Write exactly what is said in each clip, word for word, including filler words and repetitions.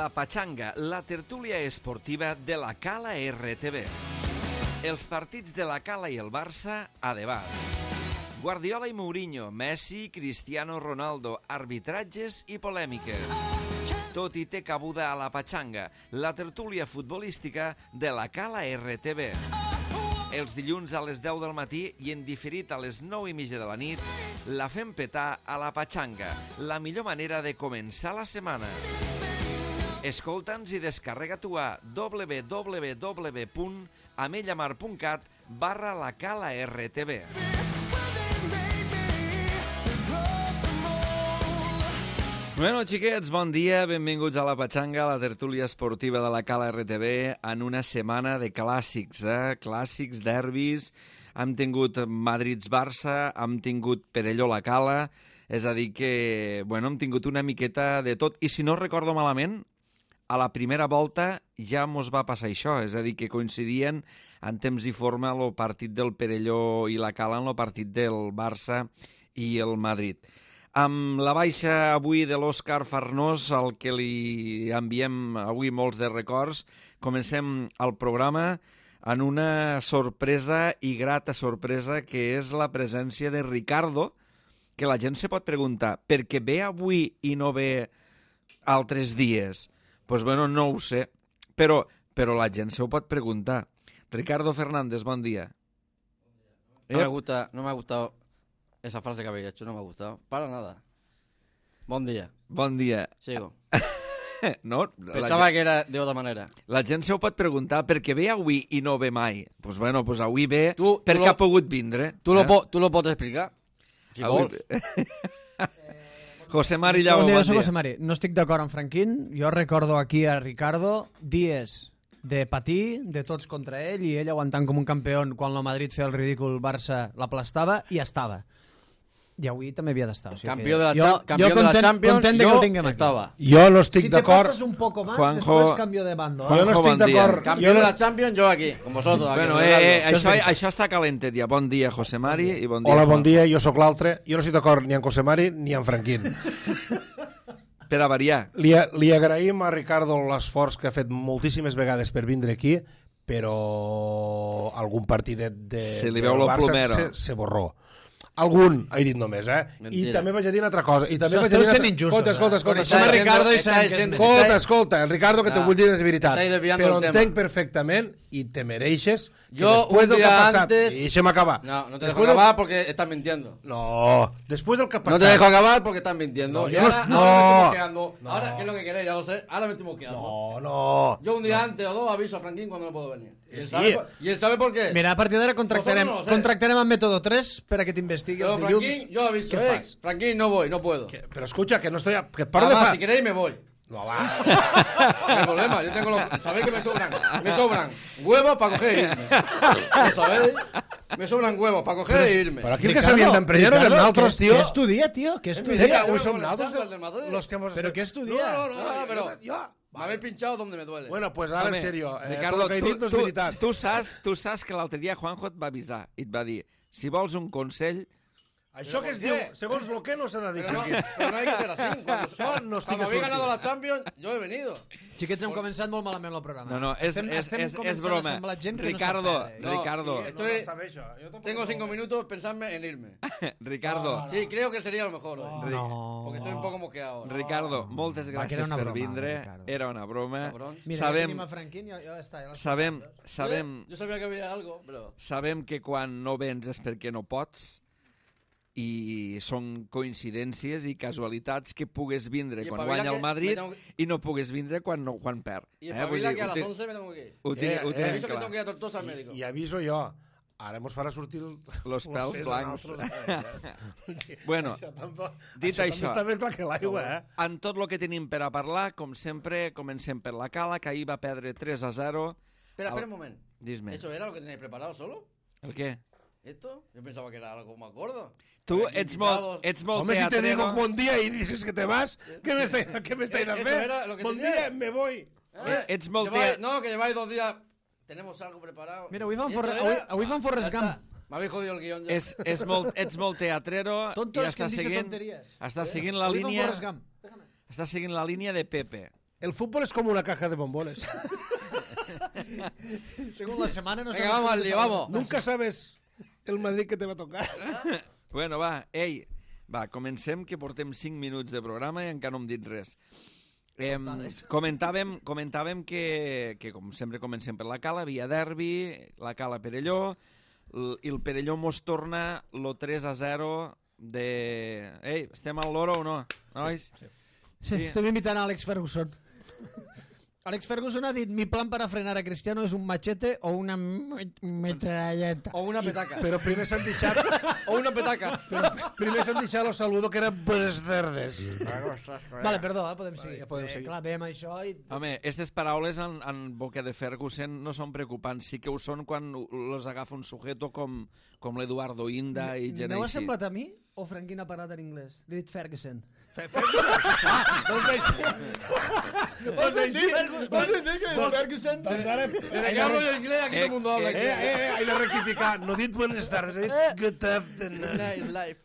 La Pachanga, la tertúlia esportiva de la Cala R T V. Els partits de la Cala i el Barça a debat. Guardiola i Mourinho, Messi, Cristiano Ronaldo, arbitratges i polèmiques. Tot hi té cabuda a La Pachanga, la tertúlia futbolística de la Cala R T V. Els dilluns a les deu del matí i en diferit a les nou i mitja de la nit, la fem petar a La Pachanga, la millor manera de començar la setmana. Escolta'ns i descarrega-t'ho a w w w punt amellamar punt cat barra la Cala R T V. Bueno, xiquets, bon dia, benvinguts a La Pachanga, la tertúlia esportiva de la Cala R T V, en una setmana de clàssics, eh? Clàssics, derbis, hem tingut Madrid-Barça, hem tingut Perelló-La Cala, és a dir que, bueno, hem tingut una miqueta de tot, i si no recordo malament, a la primera volta ja mos va passar això, és a dir, que coincidien en temps i forma el partit del Perelló i la Cala en el partit del Barça i el Madrid. Amb la baixa avui de l'Òscar Farnós, al que li enviem avui molts de records, comencem el programa en una sorpresa i grata sorpresa, que és la presència de Ricardo, que la gent se pot preguntar, per què ve avui i no ve altres dies? Pues bueno, no ho sé, però, però la gent se ho pot preguntar. Ricardo Fernández, bon dia. No me gusta, no me ha gustado esa frase que habéis hecho, no me ha gustado, para nada. Bon dia. Bon dia. Sigo. No, Pensava gent... que era de otra manera. La gent se ho pot preguntar per què ve avui i no ve mai. Doncs pues bueno, pues avui ve tu, perquè tu lo, ha pogut vindre. Tu, eh? lo, tu lo pots explicar? Si avui... vols. José Mari Llago, bon dia. Bon Soc dia. José Mari. No estic d'acord amb Franquín. Jo recordo aquí a Ricardo dies de patir, de tots contra ell, i ell aguantant com un campió quan el Madrid feia el ridícul, Barça l'aplastava i estava. I avui també havia d'estar. O sigui campió que de la, jo, campió jo de content, la Champions, content de jo que el tinguem aquí. estava. Jo no estic si d'acord. Si te passes un poco más, Juanjo... después cambio de bando. Jo no estic d'acord. Campió jo de no... la Champions, jo aquí, con vosotros. Aquí, Bueno, eh, eh, això, això està calentet ja. Bon dia, José Mari, i bon dia, Hola, bon Juanjo. dia, jo sóc l'altre. Jo no estic d'acord ni amb José Mari ni amb Franquín. Per a variar. Li, li agraïm a Ricardo l'esforç que ha fet moltíssimes vegades per vindre aquí, però algun partidet de, Se li del veu lo Barça plomero. se, se borró. Algun, he dit només, eh? Mentira. I també vaig a dir una altra cosa. I també Això vaig a dir esteu una sent altra... injustos, Escolta, escolta, eh? escolta. Coneixem a Ricardo i Está sabem que és diciendo- Escolta, escolta, el Ricardo, que t'ho Ah, vull dir és veritat, estáis desviando però el tema. entenc perfectament i te mereixes que Jo, després un del que día ha passat... antes- I deixa'm acabar. No, no te dejo Después del- acabar porque estás mintiendo. No, después del que ha No pasado... te dejo acabar porque estás mintiendo. No, y yo ahora, no- ahora me estoy no. mosqueando. No. Ahora, ¿qué es lo que queréis? Ya lo sé. Ahora me estoy mosqueando. No, no. Yo un día antes o dos aviso a Franquín cuando no puedo venir. Y él, Sí. sabe, por- y él sabe por qué. Mira, a partir d'ara contractarem, Vosotros no, contractarem amb Método tres per a que t'investigui Pero els dilluns. Franquín, yo aviso. Què Eh, fas? Franquín, no voy, no puedo. Que- pero escucha, que no estoy... A... Que paro de Además, fa... si queréis me voy. No, va. No hay problema, yo tengo los... Sabéis que me sobran, me sobran huevos para coger e irme. ¿Lo sabéis? Me sobran huevos para coger e irme. Però aquí el que s'havien d'emprenyar eren altres, què, tio. què estudia, tio? Què Es mi estudia? día, Avui yo som con la nosaltres Champions del Madrid. los que hemos... Però què estudia? No, no, no, Ah, jo- però- jo- Me habéis pinchado donde me duele. Bueno, pues ara, Home, en serio, eh, Ricardo, tot el que he tu, dit no és tu, veritat. tu, saps, tu saps que l'altre dia Juanjo et va avisar i et va dir, si vols un consell... Això que es ¿por diu, qué? segons lo que no s'ha de dir. Pero no, Franquín. pero no hay que ser así. Cuando, Yo no estoy cuando que habéis ganado surti. la Champions, yo he venido. Xiquets, hem començat molt malament el programa. No, no, és, estem, és, estem és, és començant a broma. semblar gent que Ricardo, no sap perdre. No, Ricardo, sí, Estoy- està bé, això. Jo tampoc Tengo no cinco ho veig. minutos pensarme en irme. Ricardo, Sí, creo que sería lo mejor hoy. Ri- No. Porque estoy un poco mosqueado. Ricardo, moltes Va, que era gràcies una per broma, vindre. Ricardo. Era una broma. Cabrón. Mira, ja Sabem, tenim a Franquín i ja, ja està. Ja l'has sabem, tocat, eh? sabem, Eh, Yo sabía que había algo, pero... sabem que quan no vens és perquè no pots i són coincidències i casualitats que pugues vindre I quan espavila guanya el que Madrid me tengo i no pugues vindre quan, no, quan perd. Y Eh, el vull Pavila dir, que a ho las tinc- once me tengo que ir. ho tinc- Eh, ho eh, tinc Aviso que clar. tengo que ir a Tortosa al médico. I, I aviso jo, ara mos farà sortir el, Los el pèls cés a blancs. nosaltres, eh? Bueno, Això tampoc- dit això, això- també està més clar que l'aigua, eh? en tot el que tenim per a parlar, com sempre, comencem per la Cala, que ahir va perdre tres a zero. Espera, Al- espera un momento. Dis-me, ¿Eso era lo que tenéis preparado solo? el què? ¿Esto? Yo pensaba que era algo más gordo. Tu Aquí ets molt, invitados. ets molt Home, si te teatrero. digo bon dia i dices que te vas, què m'estàs què m'estàs a Eso fer? era lo que Bon tenía. dia, me voy. Eh, ets molt lleváis- tea- No, que lleváis dos días. Tenemos algo preparado. Mira, avui fan, ¿Y Forre... esto avui, era? avui fan Forrest Ya Gump. está. Me habéis jodido el guión ya. És, és molt, ets molt teatrero Tontos i que està em dice seguint, tonteries. està seguint la Avui fan línia Forrest Gump. està seguint la línia de Pepe. El fútbol es como una caja de bombones. Según la semana no Venga, vamos al lío, vamos. Nunca sabes el Madrid que te va a tocar. Bueno, va, ei, va, comencem, que portem cinc minuts de programa i encara no hem dit res. Eh, comentàvem comentàvem que, que, com sempre comencem per la Cala, via derbi, la Cala Perelló, l- i el Perelló mos torna lo tres a zero de... Ei, estem al loro o no, nois? Sí, sí. Estem imitant a Alex Ferguson. Alex Ferguson ha dit: mi plan para frenar a Cristiano es un machete o una metralleta. O una petaca. Però primer s'han deixat... O una petaca. Però primer s'han deixat los saludo que eren buenas tardes. Vale, perdó, eh, podem seguir. ja podem seguir. Eh, clar, veiem això i... Home, aquestes paraules en, en boca de Ferguson no són preocupants, sí que ho són quan los agafa un sujeto com, com l'Eduardo Inda i gent No ha així. semblat a mi o Franquín ha parlat en anglès? Li he dit Ferguson. Doncs així... Doncs així... Ferguson? Doncs ara... Allá rollo inglés, aquí todo el mundo habla. Eh, eh, eh, he de rectificar. No he dit buenas tardes, he dit good afternoon. Nice life.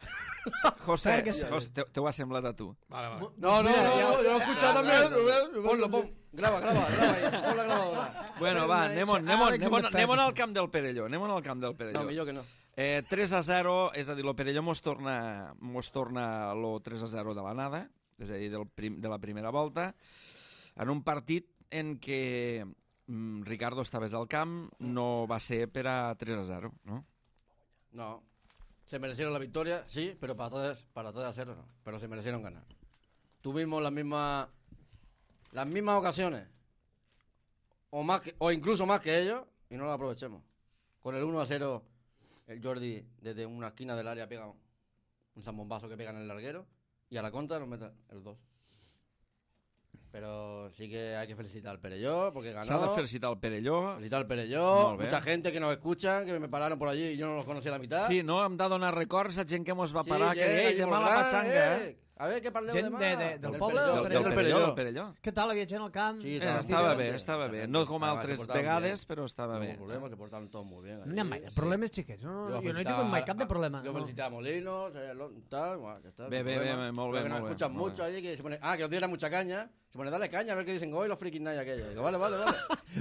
José, Ferguson. José te, te ho ha semblat a tu. Vale, vale. No, no, Mira, no, ya- no, yo lo he escuchado también. Rubén, Ponlo, pon. Graba, graba, graba ahí. Pon la grabadora. Bueno, va, anem, on, anem, on, Alex anem, on, de anem on Ferguson. al camp del Perelló. Anem on al camp del Perelló. No, millor que no. Eh, tres a zero, és a dir, el Perelló mos torna, mos torna lo tres a zero de la nada, és a dir, del prim, de la primera volta, en un partit en què mm, Ricardo estaves al camp, no va ser per a tres a zero, no? No. Se merecieron la victoria, sí, pero para tres, para tres a cero no. Pero se merecieron ganar. Tuvimos las mismas, las mismas ocasiones, o más que, o incluso más que ellos, y no las aprovechemos. Con el uno a cero, el Jordi desde una esquina del área pega un zambombazo que pega en el larguero, y a la contra nos mete el dos. Pero sí que hay que felicitar al Perelló porque ganó. S'ha de felicitar el Perelló. Felicitar al Perelló, Molt bé. mucha gente que nos escucha, que me pararon por allí y yo no los conocía la mitad. Sí, no? Hem de donar records a gent que mos va Sí, parar, que gent ei, allí demà molt la gran, patxanga, eh? A ver, ¿qué parleu Gent demà? de- de- del poble Perelló, o Del, del del Perelló. Perelló, del Perelló. Què tal? Havia gent al camp? Sí, Eh, estava- Estava gente, bé, estava mucha bé. gente. No com Además, altres se portaven vegades, bien. però estava No bé. hubo problemas, se portaron todos muy bien. No hi ha mai allí. problemes, xiquets. No, Yo no, jo no he felicitaba tingut mai a- cap de problema. Yo No. felicitaba a Molinos, eh, lo- tal, bueno, que está, Bé, no bé, problema. bé, molt bé, Pero que nos molt bé, escuchan molt mucho bé. allí que se pone, ah, que os diera mucha caña. Se pone, dale caña, a ver qué dicen hoy los frikis night aquellos. Digo, vale, vale, vale.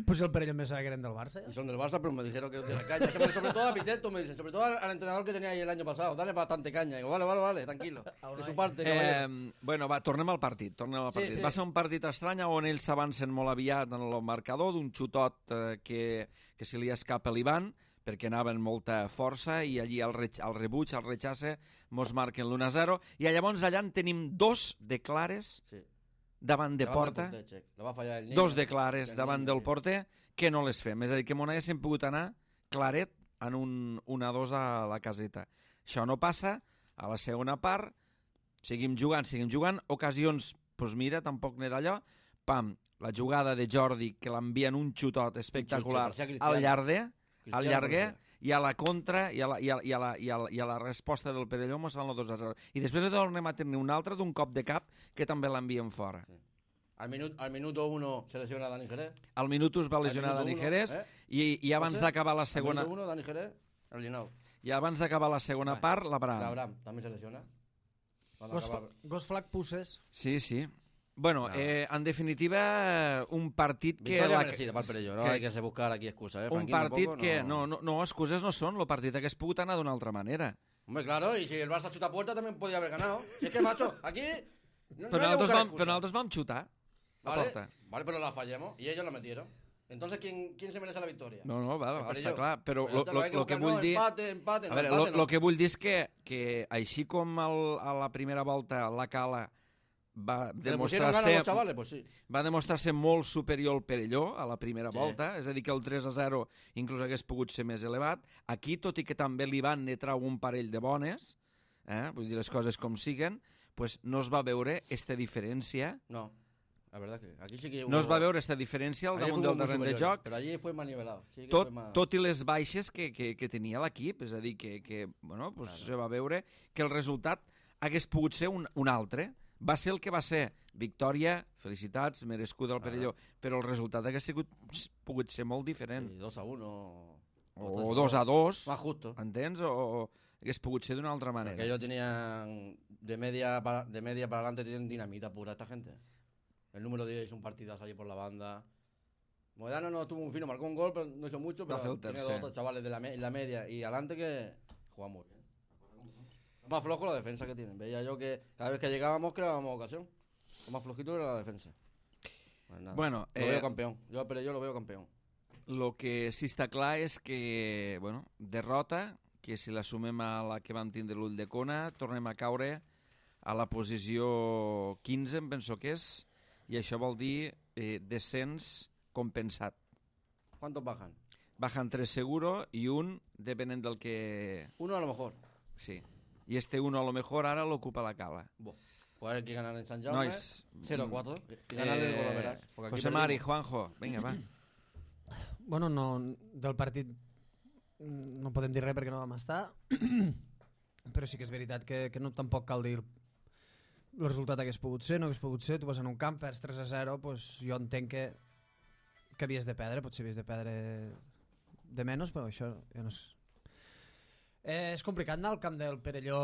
Pues el Perelló me sabe que eren del Barça. Y Ja? son del Barça, pero me dijeron que os diera caña. Se pone, sobre todo a Piteto, me dicen, sobre todo al, al entrenador que tenía ahí el año pasado, dale bastante caña. Digo, vale, vale, vale, tranquilo. De su parte, caballero. Eh, bueno, va, tornem al partit. Tornem al Sí, partit. sí. Va ser un partit estrany on ells s'avancen molt aviat en el marcador d'un xutot eh, que, que se li escapa l'Ivan perquè anava amb molta força i allí el, re, el rebuig, el rechace, mos marquen l'u a zero i llavors allà en tenim dos de clares Sí. davant de Davant del porta, porter, Check. Lo va a fallar el niño. dos de clares El davant niño, del sí. porter que no les fem. És a dir, que m'on haguéssim pogut anar claret en un un a dos a la caseta. Això no passa. A la segona part seguim jugant, seguim jugant, ocasions, doncs mira, tampoc n'he d'allò, pam, la jugada de Jordi, que l'envien un xutot espectacular parecia Cristiano. al llarder, al Cristiano llarguer, parecia. i a la contra, i a la, i a, i a, la, i a, la, i a la resposta del Perelló mos fan el dos a zero. I després tornem a tenir un altre d'un cop de cap que també l'envien fora. Al, minut, al minuto uno se lesiona Dani Jerez. Al minut us va lesionar minuto Dani uno, Jerez eh? i, i abans José, d'acabar la Al segona minuto uno, Dani Jerez, el Linau. i abans d'acabar la segona part, l'Abraham. Abraham también se lesiona. Van a Gos, acabar- Gos Flac Pusses. Sí, sí. Bueno, No. eh, en definitiva, un partit que... Victoria la- merecida para el Perelló, no que- hay que se buscar aquí excusas, ¿eh? un Franquín, partit tampoco, que... No, no, no, excuses no són. El partit hagués pogut anar d'una altra manera. Hombre, claro, y si el Barça chuta a puerta también podía haver ganado. Si es que, macho, aquí... No, Però no hay que nosaltres buscar vam, excusas. però nosaltres vam xutar a Vale, porta. vale, pero la fallamos y ellos la metieron. Entonces, ¿quién, quién se merece la victoria? No, no, vale, El vale, Perelló. està clar. Però Pues lo, entonces lo, hay que lo que buscar, vull no, dir... Empate, empate, A no, veure, empate, lo, no. lo que vull dir és que, que així com el, a la primera volta la Cala va ¿Se le pusieron demostrar ganas a ser, los chavales? Pues sí. va demostrar ser molt superior al Perelló a la primera Sí. volta, és a dir, que el tres a zero inclús hagués pogut ser més elevat. Aquí, tot i que també li van ne trau un parell de bones, eh, vull dir les coses com siguen, pues no es va veure esta diferència, No, la verdad que aquí sí que hubo... no es va veure esta diferència al allí damunt fuimos del muy terreny de superiores, joc, Pero allí fue más nivelado. Sí que tot, fue más... tot i les baixes que, que, que tenia l'equip, és a dir, que, que bueno, pues se va veure que el resultat hagués pogut ser un, un altre. Va ser el que va ser. Victòria, felicitats, merescuda al Perelló, però el resultat hagués sigut, pogut ser molt diferent. Sí, dos a uno... O dos a dos, Más justo. entens? O, o hagués pogut ser d'una altra manera. Porque ellos tenían de media para, de media para adelante tienen dinamita pura esta gente. El número diez hizo un partidazo allí por la banda. Moedano no tuvo un fino, marcó un gol, pero no hizo mucho, pero el tenía tercer. dos otros chavales de la, me- en la media y adelante que juegan muy bien. Es más flojo la defensa que tienen. Veía yo que cada vez que llegábamos creábamos ocasión. Lo más flojito era la defensa. Pues nada, Bueno, lo eh, veo campeón. Yo, pero yo lo veo campeón. el que sí està clar és que, bueno, derrota, que si la sumem a la que vam tindre l'ull de Cona, tornem a caure a la posició quinze, em penso que és, i això vol dir eh, descens compensat. ¿Cuántos bajan? Bajan tres seguro y un, depenent del que... Uno a lo mejor. Sí. Y este uno a lo mejor ara l'ocupa la Cala. Buah. Pues hay que ganar en San Jaume. Nois, cero a cuatro. Y ganar el gol, verás. Porque aquí José Mari, perdimos. Juanjo, vinga, va. Bueno, no, del partit no podem dir res perquè no vam estar, però sí que és veritat que, que no, tampoc cal dir el resultat hagués pogut ser, no hagués pogut ser, tu vas en un camp, perds tres a zero, pues jo entenc que, que havies de perdre, potser havies de perdre de menys, però això ja no és... Eh, és complicat anar al camp del Perelló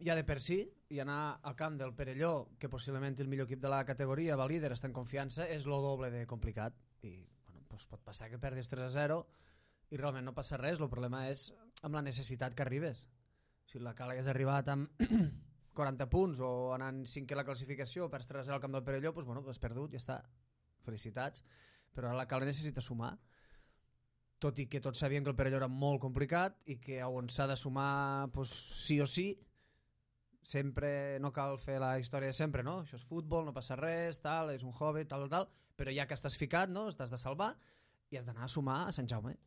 ja de per si, i anar al camp del Perelló, que possiblement el millor equip de la categoria, va líder, està en confiança, és lo doble de complicat, i bueno, pues pot passar que perdis tres a zero i realment no passa res, el problema és amb la necessitat que arribes. Si la Cala hagués arribat amb quaranta punts o anant cinquè a la classificació, perds tres a zero al camp del Perelló, pues bueno, has perdut, ja està, felicitats, però ara la Cala necessita sumar, tot i que tots sabien que el Perelló era molt complicat i que on s'ha de sumar pues, sí o sí, sempre no cal fer la història de sempre, no? Això és futbol, no passa res, tal, és un hobby, tal, tal, tal, però ja que estàs ficat, no? Estàs de salvar i has d'anar a sumar a Sant Jaume,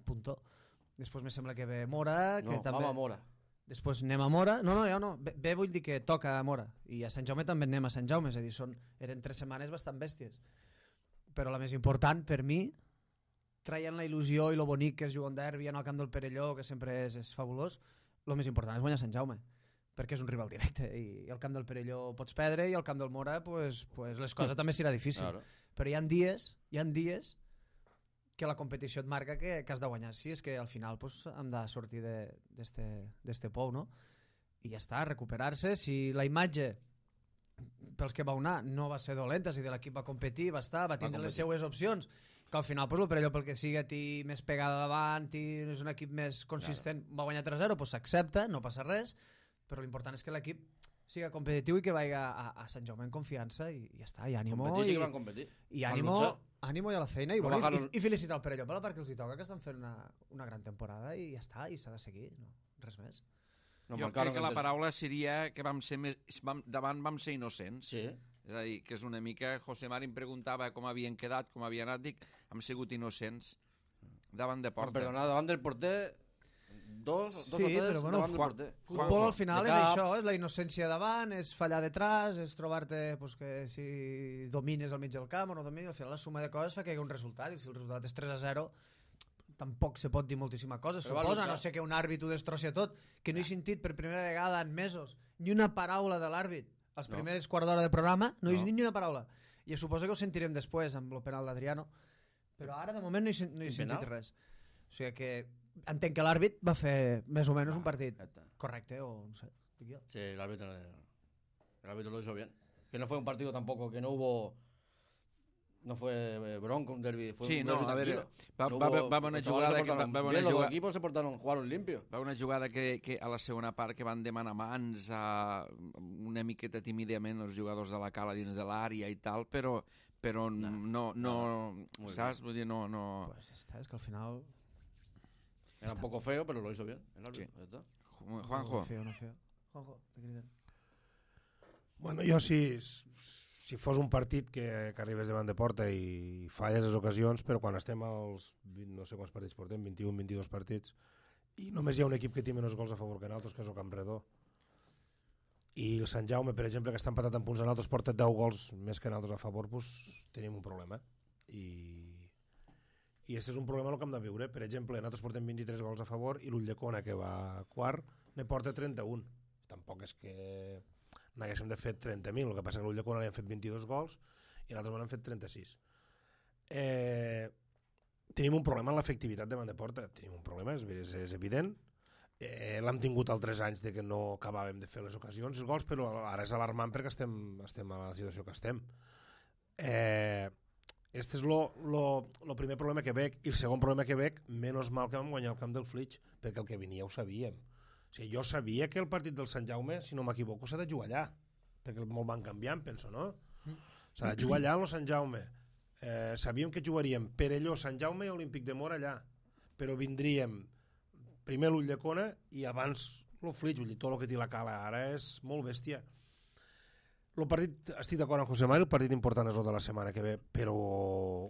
punto. Després me sembla que ve Mora, que No, també... vamos a Mora. Després anem a Mora, no, no, jo no, bé, bé vull dir que toca a Mora, i a Sant Jaume també anem a Sant Jaume, és a dir, són, eren tres setmanes bastant bèsties, però la més important per mi, traient la il·lusió i lo bonic que és jugar un derbi en el camp del Perelló, que sempre és, és fabulós, el més important és guanyar Sant Jaume, perquè és un rival directe, i el camp del Perelló pots perdre i el camp del Mora pues, pues les coses també serà difícil, Claro. però hi ha dies, hi ha dies que la competició et marca que, que has de guanyar. Sí, és que al final pues, hem de sortir d'este pou, no? I ja està, recuperar-se. Si la imatge pels que va anar no va ser dolenta, si de l'equip va competir, va estar, va tindre les seues opcions, que al final pues, el Perelló pel que siga té més pegada davant i és un equip més consistent, claro. Va guanyar tres a zero, pues s'accepta, no passa res, però l'important és que l'equip siga competitiu i que vagi a, a, a Sant Jaume en confiança i, i ja està, i ànimo Competir sí i, que van competir. i Van ànimo, luchar. ànimo i a la feina i, No bueno, bajaron- i, i felicitar el Perelló per la part que els hi toca, que estan fent una, una gran temporada i ja està, i s'ha de seguir, no? Res més. Nos Jo marcaron crec que la antes. paraula seria que vam ser més, vam, davant vam ser innocents. Sí. És a dir, que és una mica... José Mari em preguntava com havien quedat, com havien anat, dic, hem sigut innocents davant de Por porta. perdonar, davant del porter, dos, dos Sí, o tres però bueno, davant del Juan- porter. Futbol al final De és cap. això, és la innocència davant, és fallar detrás, és trobar-te pues, que si domines al mig del camp o no domines, al final la suma de coses fa que hi hagi un resultat, i si el resultat és tres a zero tampoc se pot dir moltíssima cosa, Però va suposa, luchar. no sé que un àrbit ho destrossi tot, que no he sentit per primera vegada en mesos ni una paraula de l'àrbit als No. primers quart d'hora de programa, no he No. sentit ni una paraula, i suposo que ho sentirem després amb el penal d'Adriano, però ara de moment no he, sen- no he Quin sentit penal? res, o sigui que entenc que l'àrbit va fer més o menys un partit Ya está. correcte, o no sé, dic jo. Sí, el árbitro, el árbitro lo hizo bien. Que no fue un partido tampoco, que no hubo... No fue eh, bronco, un derbi, fue Sí, un no, derbi a veure, tranquilo. va- No va- hubo- va haver una los chavales jugada se que- va- portaron va haver una bien, los dos jugada- equipos se portaron, jugaron limpio. Va una jugada que, que a la segona part que van demanar mans a una miqueta tímidament els jugadors de la Cala dins de l'àrea i tal, però, però no, no, no, Muy saps? Vull dir, no, no... Pues ya está, es que al final... Era un poco feo, pero lo hizo bien. El árbitro, ya está. Juanjo, No feo, no feo. Juanjo, te criden. Bueno, jo si, si fos un partit que, que arribes davant de porta i falles les ocasions, però quan estem als vint, no sé quants partits portem, vint-i-un, vint-i-dos partits, i només hi ha un equip que té menys gols a favor que nosaltres, que és el Campredó, i el Sant Jaume, per exemple, que està empatat en punts a nosaltres, porta deu gols més que nosaltres a favor, doncs tenim un problema. I, i aquest és un problema el que hem de viure. Per exemple, nosaltres portem vint-i-tres gols a favor i l'Ulldecona, que va quart, ne porta trenta-un. Tampoc és que n'haguéssim de fer trenta mil, el que passa que a l'Ulldecona li han fet vint-i-dos gols i nosaltres n'han fet trenta-sis. Eh, tenim un problema en l'efectivitat davant de porta, tenim un problema, és, és, és evident. Eh, l'hem tingut altres anys de que no acabàvem de fer les ocasions, els gols, però ara és alarmant perquè estem, estem a la situació que estem. Eh, este és lo, lo, lo primer problema que veig, i el segon problema que veig, menys mal que vam guanyar el camp del Flix, perquè el que venia ho sabíem. O sigui, jo sabia que el partit del Sant Jaume, si no m'equivoco, s'ha de jugar allà, perquè molt van canviant, penso, no? S'ha de jugar allà al Sant Jaume. Eh, sabíem que jugaríem Perelló, Sant Jaume i Olímpic de Mora allà, però vindríem primer l'Ulldecona i abans el Flix, vull dir, tot el que té la cala ara és molt bèstia. El partit, estic d'acord amb José Mari, el partit important és el de la setmana que ve, però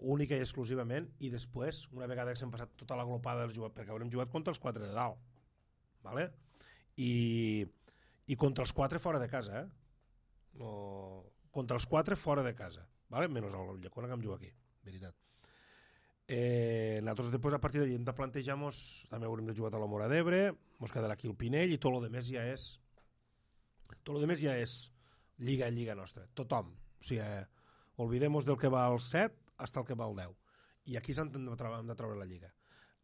única i exclusivament, i després, una vegada que s'hem passat tota la glopada dels jugadors, perquè haurem jugat contra els quatre de dalt, ¿vale? I, i contra els quatre fora de casa, eh? No, contra els quatre fora de casa, ¿vale? Menys el Llecona que em juga aquí, veritat. Eh, nosaltres després a partir d'allí hem de plantejar, també haurem de jugar a la Mora d'Ebre, ens quedarà aquí el Pinell i tot el demés ja és tot el demés ja és lliga lliga nostra, tothom. O sigui, eh, olvidem-nos del que va al set fins al que va al deu. I aquí s'han de, de treure la lliga.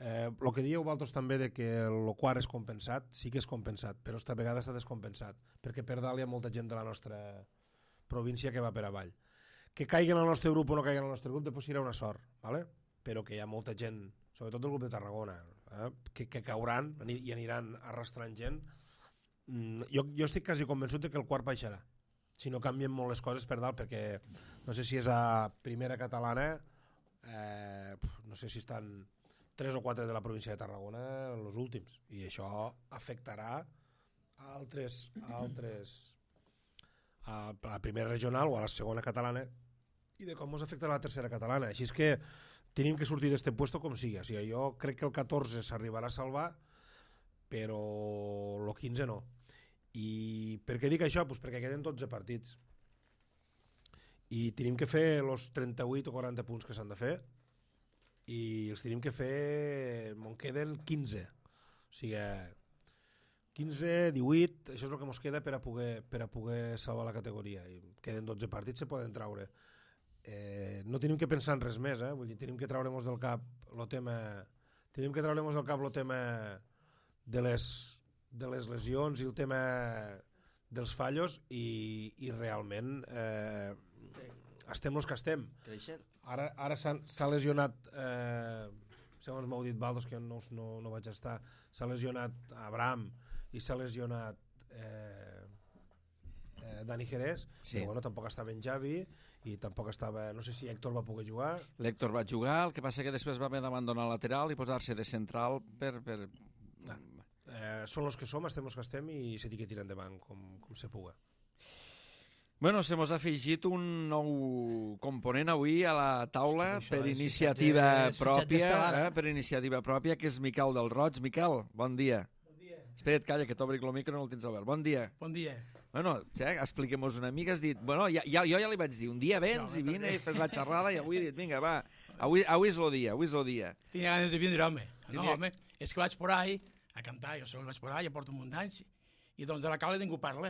Eh, el que dieu vosaltres també de que el quart és compensat, sí que és compensat, però esta vegada està descompensat, perquè per dalt hi ha molta gent de la nostra província que va per avall. Que caiguen al nostre grup o no caiguen al nostre grup, després serà una sort, ¿vale? Però que hi ha molta gent, sobretot del grup de Tarragona, eh, que, que cauran i aniran arrastrant gent. Mm, jo, jo estic quasi convençut de que el quart baixarà, si no canvien molt les coses per dalt, perquè no sé si és a primera catalana, eh, no sé si estan tres o quatre de la província de Tarragona els últims, i això afectarà a altres, a altres a la primera regional o a la segona catalana, i de com ens afectarà a la tercera catalana. Així és que tenim que sortir d'este puesto com sigui. O sigui, jo crec que el catorze s'arribarà a salvar, però el quinze no. I per què dic això? Pues perquè queden dotze partits i tenim que fer els trenta-vuit o quaranta punts que s'han de fer, i els tenim que fer, me'n queden quinze, o sigui quinze, divuit, això és el que ens queda per a poder, per a poder salvar la categoria, i queden dotze partits, se poden traure. Eh, no tenim que pensar en res més, eh? Vull dir, tenim que treure-nos del cap el tema tenim que treure-nos del cap el tema de les de les lesions i el tema dels fallos, i, i realment eh, estem els que estem. Ara, ara s'ha lesionat, eh, segons m'heu dit Valdos, que no, no, no vaig estar, s'ha lesionat Abraham i s'ha lesionat eh, eh, Dani Jerez, sí. Però bueno, tampoc estava en Javi i tampoc estava, no sé si Héctor va poder jugar. L'Héctor va jugar, el que passa que després va haver d'abandonar el lateral i posar-se de central per... per... Ah. Eh, són els que som, estem els que estem, i se tirar endavant com, com se puga. Bueno, se mos ha afegit un nou component avui a la taula per és, iniciativa és, pròpia, eh, per iniciativa pròpia, que és Miquel del Roig. Miquel, bon dia. Bon dia. Espera't, calla, que t'obric el micro, no el tens obert. Bon dia. Bon dia. Bueno, ja, expliquem-nos una mica. Has dit, bueno, ja, ja, jo ja li vaig dir, un dia vens sí, i vine i fes la xerrada, i avui he dit, vinga, va, avui, avui és el dia, avui és el dia. Tenia ganes de vindre, home. No, Tenia... home, és que vaig por ahí a cantar, jo sol vaig por ahí, ja porto un munt d'anys, i doncs de la cala ningú parla.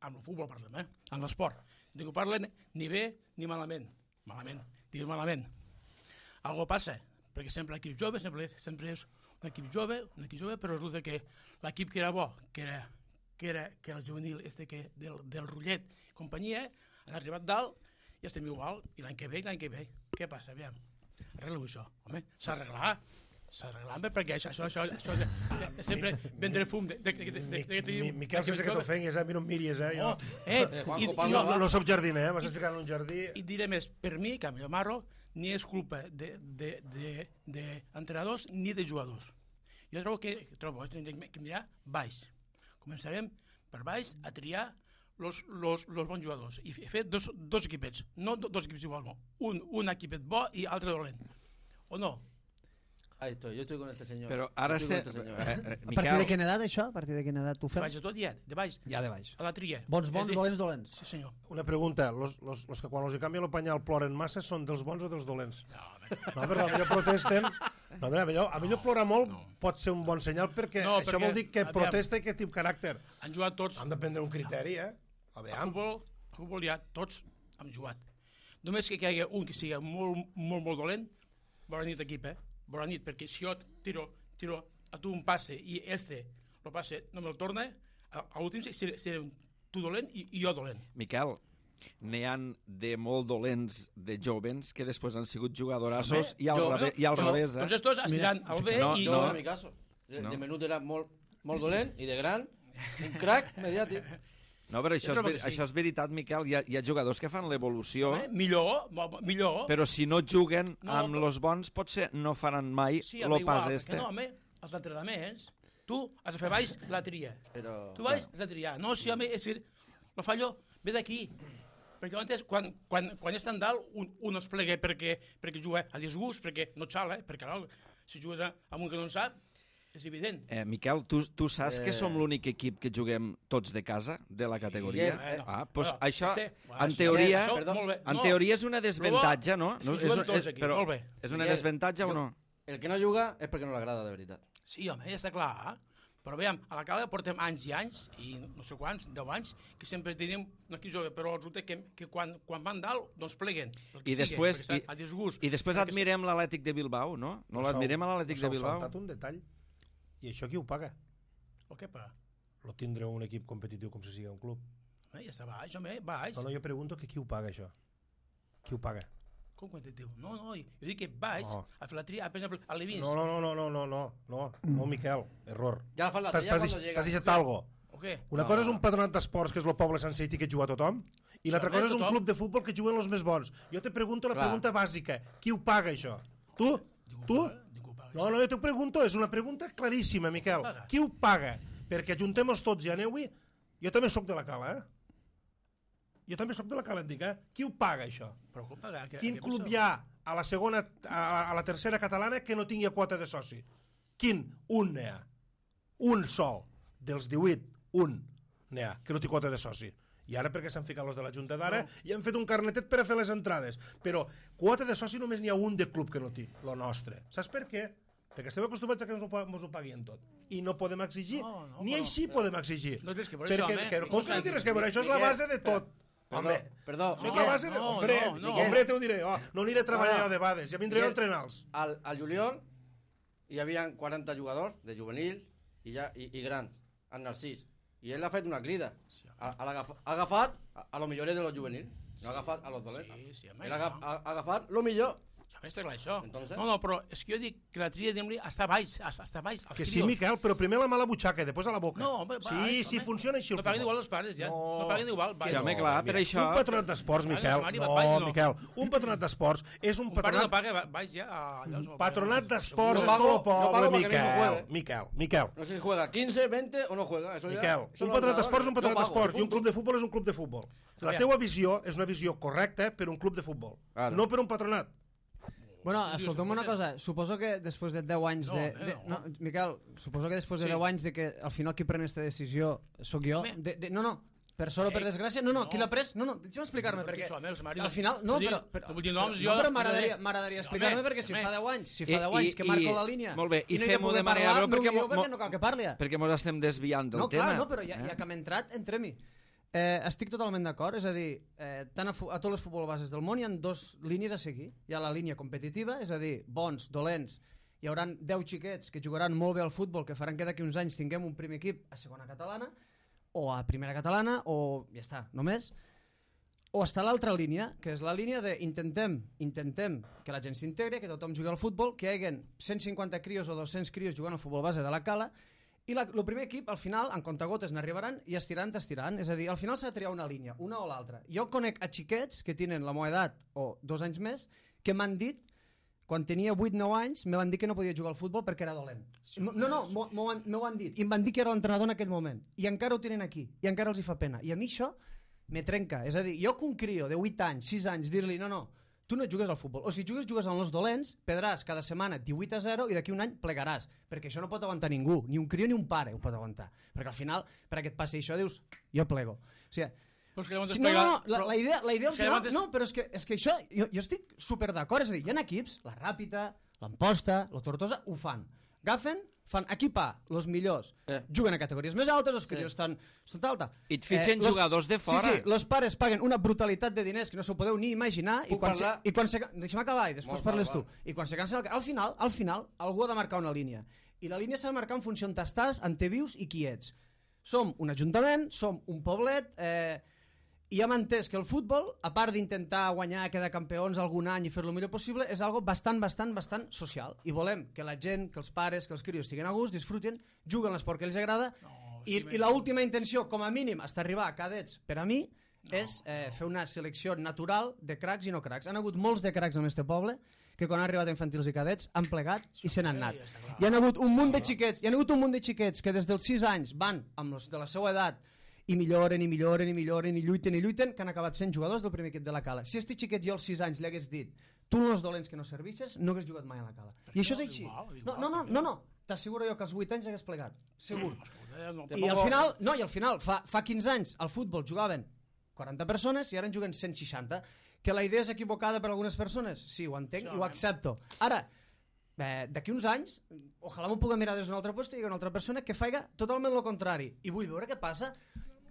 Amb el futbol parlem, eh? Amb l'esport. Ningú parla ni bé ni malament. Malament, digues malament. Algo passa, perquè sempre l'equip jove, sempre, sempre és un equip jove, un equip jove, però resulta que l'equip que era bo, que era, que era que el juvenil este que, del, del Rullet i companyia, han arribat dalt i estem igual, i l'any que ve, l'any que ve. Què passa? Aviam, arregla-ho això, home, s'ha d'arreglar. S'arreglant bé, perquè això, això, això, això és sempre vendre fum de... de, de, de, de, de Miquel, sense que t'ofenguis, eh? A mi no em miris, eh? Jo, eh, i, no, no soc jardiner, eh? M'has ficat en un jardí... I diré més, per mi, que jo marro, ni és culpa d'entrenadors ni de jugadors. Jo trobo que, trobo que hem de mirar baix. Començarem per baix a triar los, los, los bons jugadors i fer dos, dos equipets, no dos equips iguals, no. Un, un equipet bo i altre dolent. O no? Ahí estoy, yo estoy con este señor. Però ara este... Este señor. Eh, eh, a partir de quina edat, això? A partir de quina edat tu De fem? baix de tot ja, de baix. Ja de baix. A la tria. Bons, bons, dolents, dolents. Sí, senyor. Una pregunta, los, los, los que quan els canvien el penyal ploren massa són dels bons o dels dolents? No, no però a millor protesten... No, a millor, a millor plorar molt no. Pot ser un bon senyal, perquè no, això perquè, vol dir que aviam, protesta i que té caràcter. Han jugat tots. Han de prendre un criteri, eh? A veure. A futbol, a futbol ja tots han jugat. Només que hi hagi un que sigui molt, molt, molt dolent, bona nit equip, eh? Bona nit, perquè si jo tiro, tiro a tu un passe i este lo passe no me'l torna, a, a l'últim seré, seré tu dolent i, i jo dolent. Miquel, n'hi han de molt dolents de jovens que després han sigut jugadorassos Home, i al, jo- revés, i al jo- revés, eh? Doncs estos estiran al B No, i... No, no. en mi caso. De, No. de menut era molt, molt dolent i de gran, un crack mediàtic. No, però això, Jo és, trobo ver- que sí. això és veritat, Miquel. Hi ha, hi ha jugadors que fan l'evolució, Eh? Millor, mo- mo- millor. però si no juguen No, amb però- els bons, potser no faran mai Sí, el home, igual, pas perquè este. no, home, els entrenaments, tu has de fer baix la tria. Però, Tu baix has de triar. No, sí, home, és dir, el fallo ve d'aquí. Perquè antes, quan, quan, quan és tan dalt, un, un es plega perquè, perquè juga a disgust, perquè no xala, eh? perquè no, si jugues a- amb un que no en sap, és evident. Eh, Miquel, tu, tu saps Eh. que som l'únic equip que juguem tots de casa, de la categoria? Bueno, ah, doncs bueno, això, este- bueno, en això- teoria, això, perdó, molt bé. en No, teoria és una desventatge, no? és que no juguem és, tots és, aquí, però molt bé. és una Miguel, desventatge o jo- no? el que no juga és perquè no l'agrada de veritat. Sí, home, ja està clar. Eh? Però veiem, a la Cala portem anys i anys, i no sé quants, deu anys, que sempre tenim un equip jove, però resulta que, que quan, quan van dalt, doncs pleguen. pel que I sigui, després, perquè i, estan a disgust. i després Perquè admirem l'Atlètic de Bilbao, no? No Us heu- l'admirem a l'Atlètic us de heu Bilbao? saltat un detall. I això qui ho paga? O què paga? Lo tindre un equip competitiu com si sigui un club. Eh, ja està baix, home, baix. No, no, jo pregunto que qui ho paga, això. Qui ho paga? Com quantitatiu? No, no, jo dic que baix, No. a fer la tria, per exemple, a l'Evins. No, no, no, no, no, no, no, no, no, Miquel, error. Ja fan la T'has tria t'has cuando deix- llega. t'has deixat algo. O què? Una No, cosa és no. un patronat d'esports, que és el poble sencer i que juga tothom, i l'altra home, cosa és un tothom. club de futbol que juguen els més bons. Jo te pregunto la Clar. pregunta bàsica. Qui ho paga, això? Tu? Ningú Tu? paga, ningú paga. No, no, jo t'ho pregunto, és una pregunta claríssima, Miquel. paga? Qui ho paga? Perquè ajuntem-nos tots i aneu-hi. Jo també sóc de la Cala, eh? Jo també sóc de la Cala, et dic, eh? Qui ho paga, això? Però com paga? Què- Quin què club penseu? hi ha a la segona, a, a la tercera catalana que no tingui quota de soci? Quin? Un n'hi ha. Un sol. Dels divuit, un n'hi ha, que no té quota de soci. I ara perquè s'han ficat els de la Junta d'ara no. i han fet un carnetet per a fer les entrades. Però quota de soci només n'hi ha un de club que no té, lo nostre. Saps per què? Perquè estem acostumats a que ens ho, pa- ens ho paguin tot. I no podem exigir. No, no, Ni però- així podem exigir. No té res que veure perquè, això, home. que, com que no té res que veure? Això és la Miquel, base de tot. Perdó, Home, perdó. això és la Miquel, base de... no, hombre, no, no. hombre, te ho diré. Oh, no aniré a treballar No, no. jo de vegades, ja vindré jo a Miquel, entrenar-los. Al, al juliol hi havia quaranta jugadors de juvenil i, ja, i, i grans, en Narcís. I ell ha fet una crida. Ha, ha, agafat, ha agafat a, a lo millores de los juvenil. No ha agafat a los dolents. Sí, sí, home, Ell ha, no. ha, ha agafat lo millor. Ja està clar, això. Entonces? No, no, però és que jo dic que la tria d'Emily està baix, està, està baix. els Que sí, crios. Miquel, però primer la mà a la butxaca i després a la boca. No, home, sí, baix, sí, home. funciona així el No paguen futbol. igual els pares, ja. No. No paguen igual. Sí, baix. home, clar, per mira, això- Un patronat d'esports, Paga, Miquel. Mari, No, baix, no. Miquel. Un patronat d'esports és un Un pare no patronat... paga baix ja. a- allà, no, Patronat no, d'esports Yo és pago- tot el yo pago poble, para que mi hijo Miquel. juegue. Miquel, Miquel. No sé si juega quinze, veinte o no juega. Eso ya Miquel, son un los patronat d'esports és un entrenadores. patronat Yo pago, d'esports i un punto. club de futbol és un club de futbol. La Aviam. teua visió és una visió correcta per un club de futbol, Claro. no per un patronat. Bueno, Dius, escolta'm una escolta. cosa. Suposo que després de deu anys No, de... eh, de no. no, Miquel, suposo que després de Sí. deu anys de que al final qui pren aquesta decisió sóc jo. Home. De, de, no, no, per sort o per Eh, desgràcia, no, no, no. qui l'ha pres? No, no, deixa'm explicar-me, Perquè perquè això, meus maris- al final... No, Vull dir, però... però tu vull dir noms, però- jo- no, però jo m'agradaria diré- m'agradaria Sí, explicar-me home, perquè si home. fa deu anys, si I- fa deu anys que i- marco i- la línia molt bé, i i no hi ha fem-ho poder de manera parlar, breu, perquè m'ho dieu mo- perquè mo- no cal que parli. Perquè mos estem desviant del No, tema. clar, no, però ja, eh? ja que hem entrat, entrem-hi. Eh, estic totalment d'acord, és a dir, eh, tant a, fu- a tots els futbol bases del món hi ha dos línies a seguir. Hi ha la línia competitiva, és a dir, bons, dolents, hi haurà deu xiquets que jugaran molt bé al futbol, que faran que d'aquí uns anys tinguem un primer equip a segona catalana, o a primera catalana, o ja està, només. O està l'altra línia, que és la línia de intentem, intentem que la gent s'integri, que tothom jugui al futbol, que hi hagin cent cinquanta crios o dos-cents crios jugant al futbol base de la Cala, i la, el primer equip, al final, en comptagotes n'arribaran i estiran, t'estiran. És a dir, al final s'ha de triar una línia, una o l'altra. Jo conec a xiquets que tenen la meva edat o dos anys més que m'han dit, quan tenia vuit nou anys, me van dir que no podia jugar al futbol perquè era dolent. No, no, m'ho m'ho han, m'ho han dit. I em van dir que era l'entrenador en aquell moment. I encara ho tenen aquí. I encara els hi fa pena. I a mi això me trenca. És a dir, jo que un crio de vuit anys, sis anys, dir-li, no, no, tu no jugues al futbol. O si jugues, jugues amb els dolents, perdràs cada setmana divuit a zero i d'aquí un any plegaràs. Perquè això no pot aguantar ningú. Ni un crio ni un pare ho pot aguantar. Perquè al final, per aquest passi això, dius, jo plego. O sigui, Però és que llavors sí, no, no, plega- no, la, però- la idea, la idea al és que final... llavors- No, però és que, és que això, jo, jo estic super d'acord. És a dir, hi ha equips, la Ràpita, l'Amposta, la Tortosa, ho fan. Agafen, fan equipar els millors, Eh. juguen a categories més altes, els crios Eh. estan, estan tal, tal. I et fitxen los- jugadors de fora. Sí, sí, els pares paguen una brutalitat de diners que no s'ho podeu ni imaginar i Puc quan, se, parlar? i quan se, deixa'm acabar i després Molt, parles val, tu. I quan se cansa el, al final, al final, algú ha de marcar una línia. I la línia s'ha de marcar en funció on estàs, on te vius i qui ets. Som un ajuntament, som un poblet, eh, I ja m'ha entès que el futbol, a part d'intentar guanyar, quedar campions algun any i fer-lo el millor possible, és algo bastant, bastant, bastant social. I volem que la gent, que els pares, que els crios estiguen a gust, disfruten, juguen l'esport que els agrada, No, i, sí, i l'última intenció, com a mínim, hasta arribar a cadets, per a mi, no, és eh, fer una selecció natural de cracs i no cracs. Han hagut molts de cracs en este poble que quan han arribat a infantils i cadets han plegat i se n'han anat. Hi ha hagut un munt de xiquets, hi ha hagut un munt de xiquets que des dels sis anys van amb els de la seva edat i milloren, i milloren, i milloren, i lluiten, i lluiten, que han acabat sent jugadors del primer equip de la Cala. Si este xiquet jo als sis anys li hagués dit tu no els dolents que no serveixes, no hagués jugat mai a la Cala. I això és així. No, no, no, no, no. T'asseguro jo que als vuit anys hagués plegat. Segur. I al final, no, i al final, fa, fa quinze anys, al futbol jugaven quaranta persones i ara en juguen cent seixanta. Que la idea és equivocada per a algunes persones? Sí, ho entenc i ho accepto. Ara, eh, d'aquí uns anys, ojalà m'ho puga mirar des d'un altre lloc i hi ha una altra persona que faiga totalment el contrari. I vull veure què passa.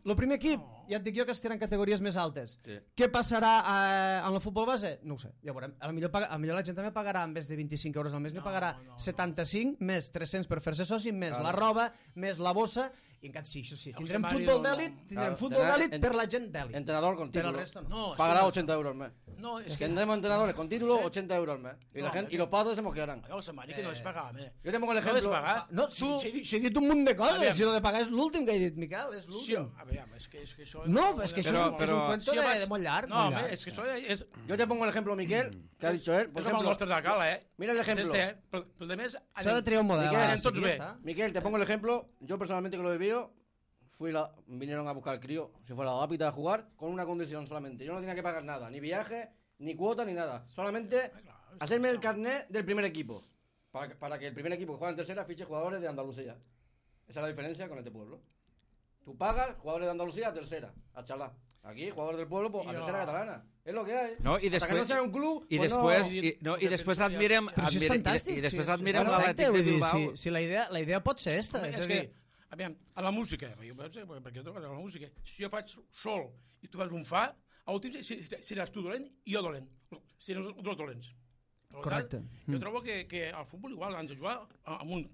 El primer equip, ja et dic jo que estiran categories més altes. Sí. Què passarà eh, en el futbol base? No ho sé, ja veurem. A lo millor, paga, a lo millor la gent també pagarà en vez de vint-i-cinc euros al mes, no, pagarà no, no, setanta-cinc no. Més tres-cents per fer-se soci, més claro. La roba, més la bossa, i encara sí, això sí, tindrem futbol d'èlit, tindrem futbol d'èlit per la gent d'èlit. Entrenador con título. Pero el resto no. No, pagará ochenta euros al mes. No, es que tendremos entrenadores con título, ochenta euros al mes. Y, no, la gente, y los padres se mosquearán. Llavors, a Mari, que no les pagàvem, eh? Yo te pongo el No les ejemplo. pagar. No, tu... si, si, si he dit un munt de coses, si lo de pagar és l'últim que he dit, Miquel, és Sí, l'últim. a veure, és que, és que això... No, és que això Però- és, però- és un cuento Sí, de, abans- de molt llarg. No, molt home, llarg. és que això és... Yo te pongo el ejemplo, Miquel, que ha dicho él. Por És com el ejemplo, nostre de Cala, eh? mira el ejemplo. Este, eh? Però, però de més... S'ha de triar un model. Miquel, ara, anem tots sí, bé. ja està. Miquel, te pongo el ejemplo. Yo personalmente que lo he vivido, fui la, vinieron a buscar el crío, se fue a la Lápida a jugar con una condición solamente. Yo no tenía que pagar nada, ni viaje, ni cuota, ni nada. Solamente hacerme el carnet del primer equipo. Para, para que el primer equipo que juega en tercera fiche jugadores de Andalucía. Esa es la diferencia con este pueblo. Tú pagas jugadores de Andalucía a tercera, a Chalá. Aquí, jugadores del pueblo, pues, a Jo. tercera catalana. Es lo que hay. No, i Hasta que després, no sea un club, i pues després, no... i, no, i després admirem, Però això és admirem fantàstic. i, i després sí, admirem és l'Atlètic perfecte, de vull dir, Bilbao. Si, si la, idea, la idea pot ser esta, Home, és, és a que, dir... aviam, a la música, perquè, perquè jo trobo a la música, si jo faig sol i tu fas un fa, a l'últim si, si, seràs tu dolent i jo dolent. Serem els dos dolents. Per tant, Correcte. Jo Mm. trobo que, que al futbol igual han de jugar amb un...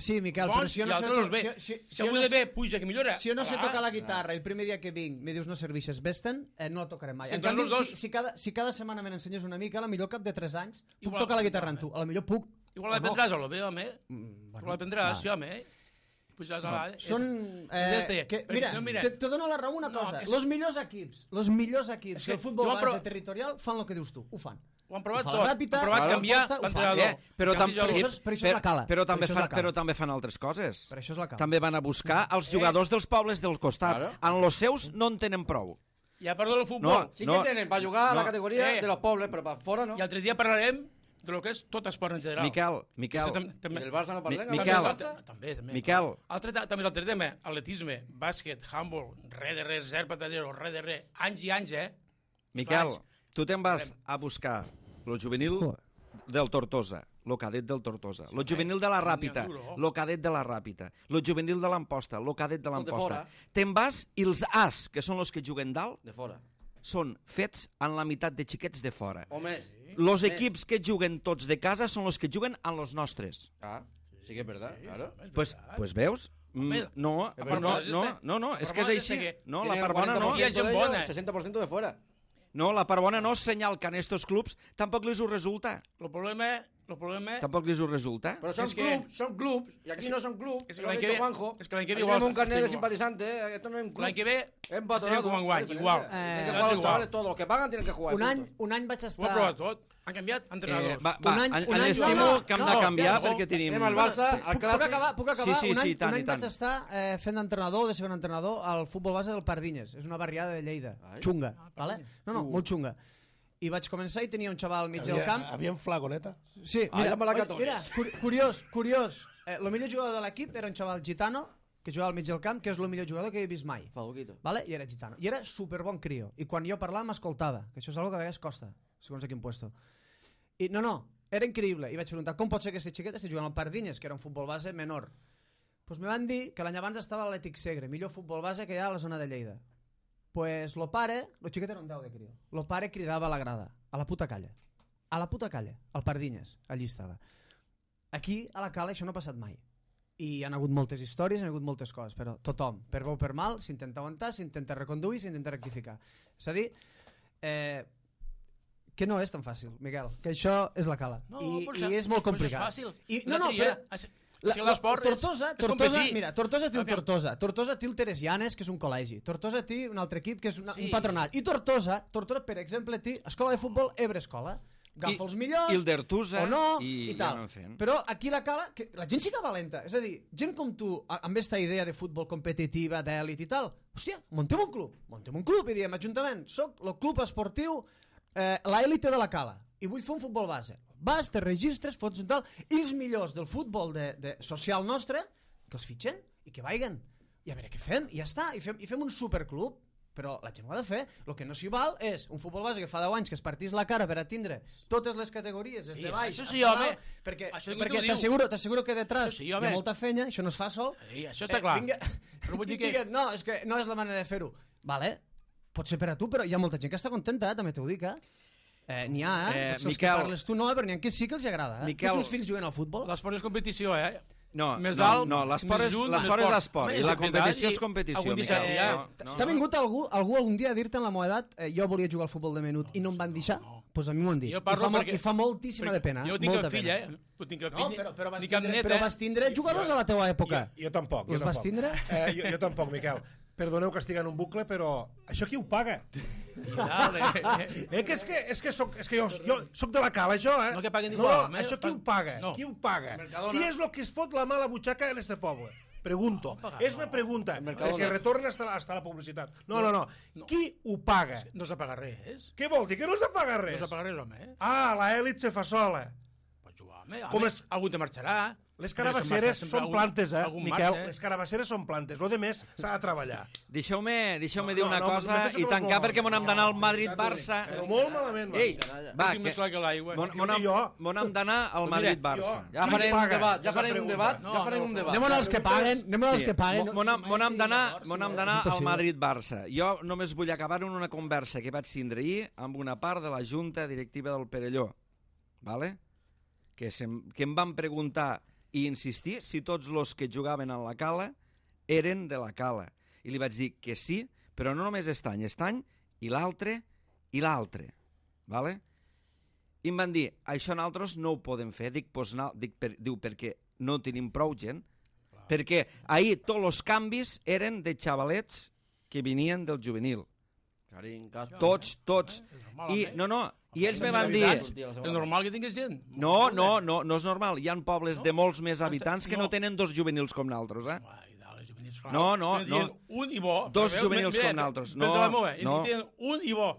Sí, Miquel, bons però si jo i no sé... altres bé. Si, si, Si si, jo algú no de sé, bé puja que millora... si jo no sé ah, tocar la guitarra i el primer dia que vinc me dius no serveixes vés-te'n, eh, no la tocaré mai. Si En entre canvi, els dos- si, si, cada, si cada setmana me n'ensenyes una mica, a la millor al cap de tres anys puc Igual- tocar la guitarra amb tu. A la millor puc... Igual o no. l'aprendràs a lo bé, home. Mm, Igual l'aprendràs, va. sí, home. Pujaràs a la... Són... és Eh, este, que, perquè mira, si no, mira, te, te dono la raó una No, cosa. és- Los millors equips, los millors equips És que del futbol jo base però- territorial fan el que dius tu. Ho fan. ho han provat ho fa la tot. Ràpita, Han provat claro, canviar ho fa, ho fa. l'entrenador. Eh, però, tam Canviar Per el- això és- per això és la Cala. però, Per també això és fan, la Cala. però també fan altres coses. Per això és la cala. També van a buscar els jugadors dels pobles del costat. Claro. En los seus no en tenen prou. I a part del futbol, No. Sí que tienen para jugar a no. la categoría Eh. de los pueblos, pero para fuera no. i altre dia parlarem de lo que és tot esport en general. Miquel, Miquel, Este tam- Y també- del Barça no parlem. Mi- ¿no? Miquel. Del Barça. També, també. Miquel. Altre, ta- també és altre tema, atletisme, bàsquet, handball, res de res, zero patallero, res de res, anys i anys, eh? Miquel, Faig. tu te'n vas a buscar el juvenil del Tortosa, el cadet del Tortosa, el juvenil de la Ràpita, el cadet de la Ràpita, el juvenil de l'Amposta, el cadet de Tot de l'Amposta. fora. Te'n vas i els As, que són els que juguen dalt, De fuera. són fets en la meitat de xiquets de fora. O més. Los Més. equips que juguen tots de casa són els que juguen en los nostres. Ah, sí que es verdad, claro. Pues, pues veus? Mm, Home, no, la no, part no, bona és no, este. no, no, La és part que és bona és així. que No, Tienen la part el bona no. Hi ha gent cuarenta por ciento de ellos, bona. sesenta por ciento de fuera. No, la part bona no és senyal que en estos clubs tampoc les ho resulta. El problema, el problema Tampoc les ho resulta. Pero son Es que- clubs, son clubs, y aquí no son clubs. es que lo ha l'any dicho que ve- Juanjo. es que l'any que ve Aquí igual tenemos un carnet de igual. simpatizantes, eh, esto no es un club. l'any que ve Es empatronado, estarem com enguany, no hay igual. diferencia. Eh, Tienen que eh, jugar los igual. chavales, todos los que pagan tienen que jugar. Un any, punto. un any vaig ho ha estar... provat tot. Han canviat Eh, entrenadors. va, va, Un any- en, un en any- l'estimo no, no, que hem no, de canviar no, perquè tenim... anem al Barça, al Puc, puc Clàssic. acabar, puc acabar? Sí, sí, un any, sí, tant un i any tant. vaig estar eh, fent d'entrenador, de segon entrenador, al futbol base del Pardines. És una barriada de Lleida. Ai. Xunga, Ah, vale? Pardines. No, no, Uh. molt xunga. I vaig començar i tenia un xaval al mig del camp. Havia flagoneta. Sí, Ah, mira, ja me la oi, cato. mira cur curiós, curiós. Eh, el millor jugador de l'equip era un xaval gitano que jugava al mig del camp, que és el millor jugador que he vist mai. Faduquito. Vale? I era gitano. I era superbon crio. I quan jo parlava m'escoltava, que això és una que a vegades costa, segons a quin puesto. I no, no, era increïble. I vaig preguntar, com pot ser que aquest xiquet estigui jugant al Pardines, que era un futbol base menor? Doncs pues me van dir que l'any abans estava a l'Atlètic Segre, millor futbol base que hi ha a la zona de Lleida. Pues lo pare, lo xiquet era un deu de crio, lo pare cridava a la grada, a la puta calla. A la puta calla, al Pardines, allí estava. Aquí, a la Cala, això no ha passat mai. i hi ha hagut moltes històries, hi ha hagut moltes coses, però tothom, per bo o per mal, s'intenta aguantar, s'intenta reconduir, s'intenta rectificar. És a dir, eh, que no és tan fàcil, Miquel, que això és la cala. No, I, però i és molt complicat. és fàcil. I, no, no, però... La, si l'esport és, Tortosa, és Tortosa, competir. mira, Tortosa té el Tortosa, Tortosa té el Teresianes, que és un col·legi, Tortosa té un altre equip, que és una, Sí. un patronat, i Tortosa, Tortosa, per exemple, té escola de futbol Ebre Escola, agafa els millors, I el d'Ertusa, o no, i, i tal. ja anem fent. Però aquí la cala, que la gent sí que valenta, és a dir, gent com tu, a- amb aquesta idea de futbol competitiva, d'èlit i tal, hòstia, montem un club, montem un club i diem, Ajuntament, soc el club esportiu, eh, l'èlite de la cala, i vull fer un futbol base. Vas, te registres, fots un tal, i els millors del futbol de, de social nostre, que els fitxen i que vaiguen. I a veure què fem, i ja està, i fem, i fem un superclub. Però la gent ho ha de fer. El que no s'hi val és un futbol base que fa deu anys que es partís la cara per a tindre totes les categories, des Sí, de baix això fins sí, a home. dalt, perquè, Això ningú perquè t'ho diu. t'asseguro t'asseguro que detrás Això sí, hi home. ha molta fenya, això no es fa sol. Sí, això està clar. Vinga, Però vull dir i que- diguen, no, és que no és la manera de fer-ho. Vale, pot ser per a tu, però hi ha molta gent que està contenta, eh? També t'ho dic, eh? Eh, n'hi ha, eh? Eh, Potser els Miquel- que parles tu no, però n'hi ha que sí que els agrada, eh? Miquel- Els seus fills juguen al futbol. L'esport és competició, eh? No, més no, alt, no, l'esport més és, lluny, l'esport més és fort. esport, Home, i la és competició veritat, és competició, algun Miquel. dissabte ja- No, no, T'ha no. vingut algú, algú algun dia a dir-te en la meva edat eh, jo volia jugar al futbol de menut i no em van deixar? Doncs pues a mi m'ho han dit. Jo I parlo fa, molt- perquè- I fa moltíssima de pena. Jo tinc molta el fill, pena. eh? Tu tinc el No, fill, però, però, vas ni cap tindre, net, però eh? vas tindre jugadors a la teua època. Jo, jo tampoc. Jo Els vas tampoc. tindre? Eh, jo, jo tampoc, Miquel. Perdoneu que estic en un bucle, però això qui ho paga? Dale. Eh, que és que, és que, soc, és que jo, jo soc de la cala, això, eh? No que paguen no, igual, no, eh? això qui ho paga? No. Qui ho paga? Mercadona. Qui és el que es fot la mala butxaca en este poble? Pregunto. És una pregunta. Mercadona. Que retorna hasta la, hasta la publicitat. No, no, no. Qui ho paga? No s'ha pagat res. Què vol dir? Que no has de pagar No res? s'ha pagat res, home, eh? Ah, la èlit se fa sola. Pots jugar, home. Com Com és- Algú te marxarà. Les Però carabasseres sempre són algun- plantes, eh, algun Miquel? marxa, eh? Les carabasseres són plantes. Lo de més s'ha de treballar. Deixeu-me deixeu No, dir no, una no, cosa me penso i que vas tancar molt perquè m'on hem d'anar al Madrid-Barça. Però molt malament, vas. Ei, Canalla. va, Tinc més clar que l'aigua. M'on Jo dic jo. m'on hem d'anar al Mira, Madrid-Barça. jo- Ja Qui farem un paga? debat, ja És la farem un pregunta. debat, No, ja farem no, un debat. Anem als que paguen, anem als Sí, que paguen. m'on hem- m'on hem d'anar Llavors, m'on hem és d'anar al impossible. Madrid-Barça. Jo només vull acabar en una conversa que vaig tindre ahir amb una part de la junta directiva del Perelló, vale? que, sem, que em van preguntar i insistir si tots els que jugaven a la cala eren de la cala. I li vaig dir que sí, però no només aquest any, aquest any i l'altre i l'altre. Vale? I em van dir, això nosaltres no ho podem fer. Dic, pues, no, dic per, diu, perquè no tenim prou gent. Clar. Perquè ahir tots els canvis eren de xavalets que venien del juvenil. Carín, Castro. Tots, tots. És normal, I, home. no, no, i ells És me van dir... veritat. És normal que tinguis gent. No, no, no, no és normal. Hi ha pobles No? de molts més habitants que no No. tenen dos juvenils com nosaltres, eh? Ai, dale, juvenils, clar. No, no, Me dient no. Un i bo. Dos Veieu? juvenils Mira, com nosaltres. pensa No, la meva, i no. tenen un i bo.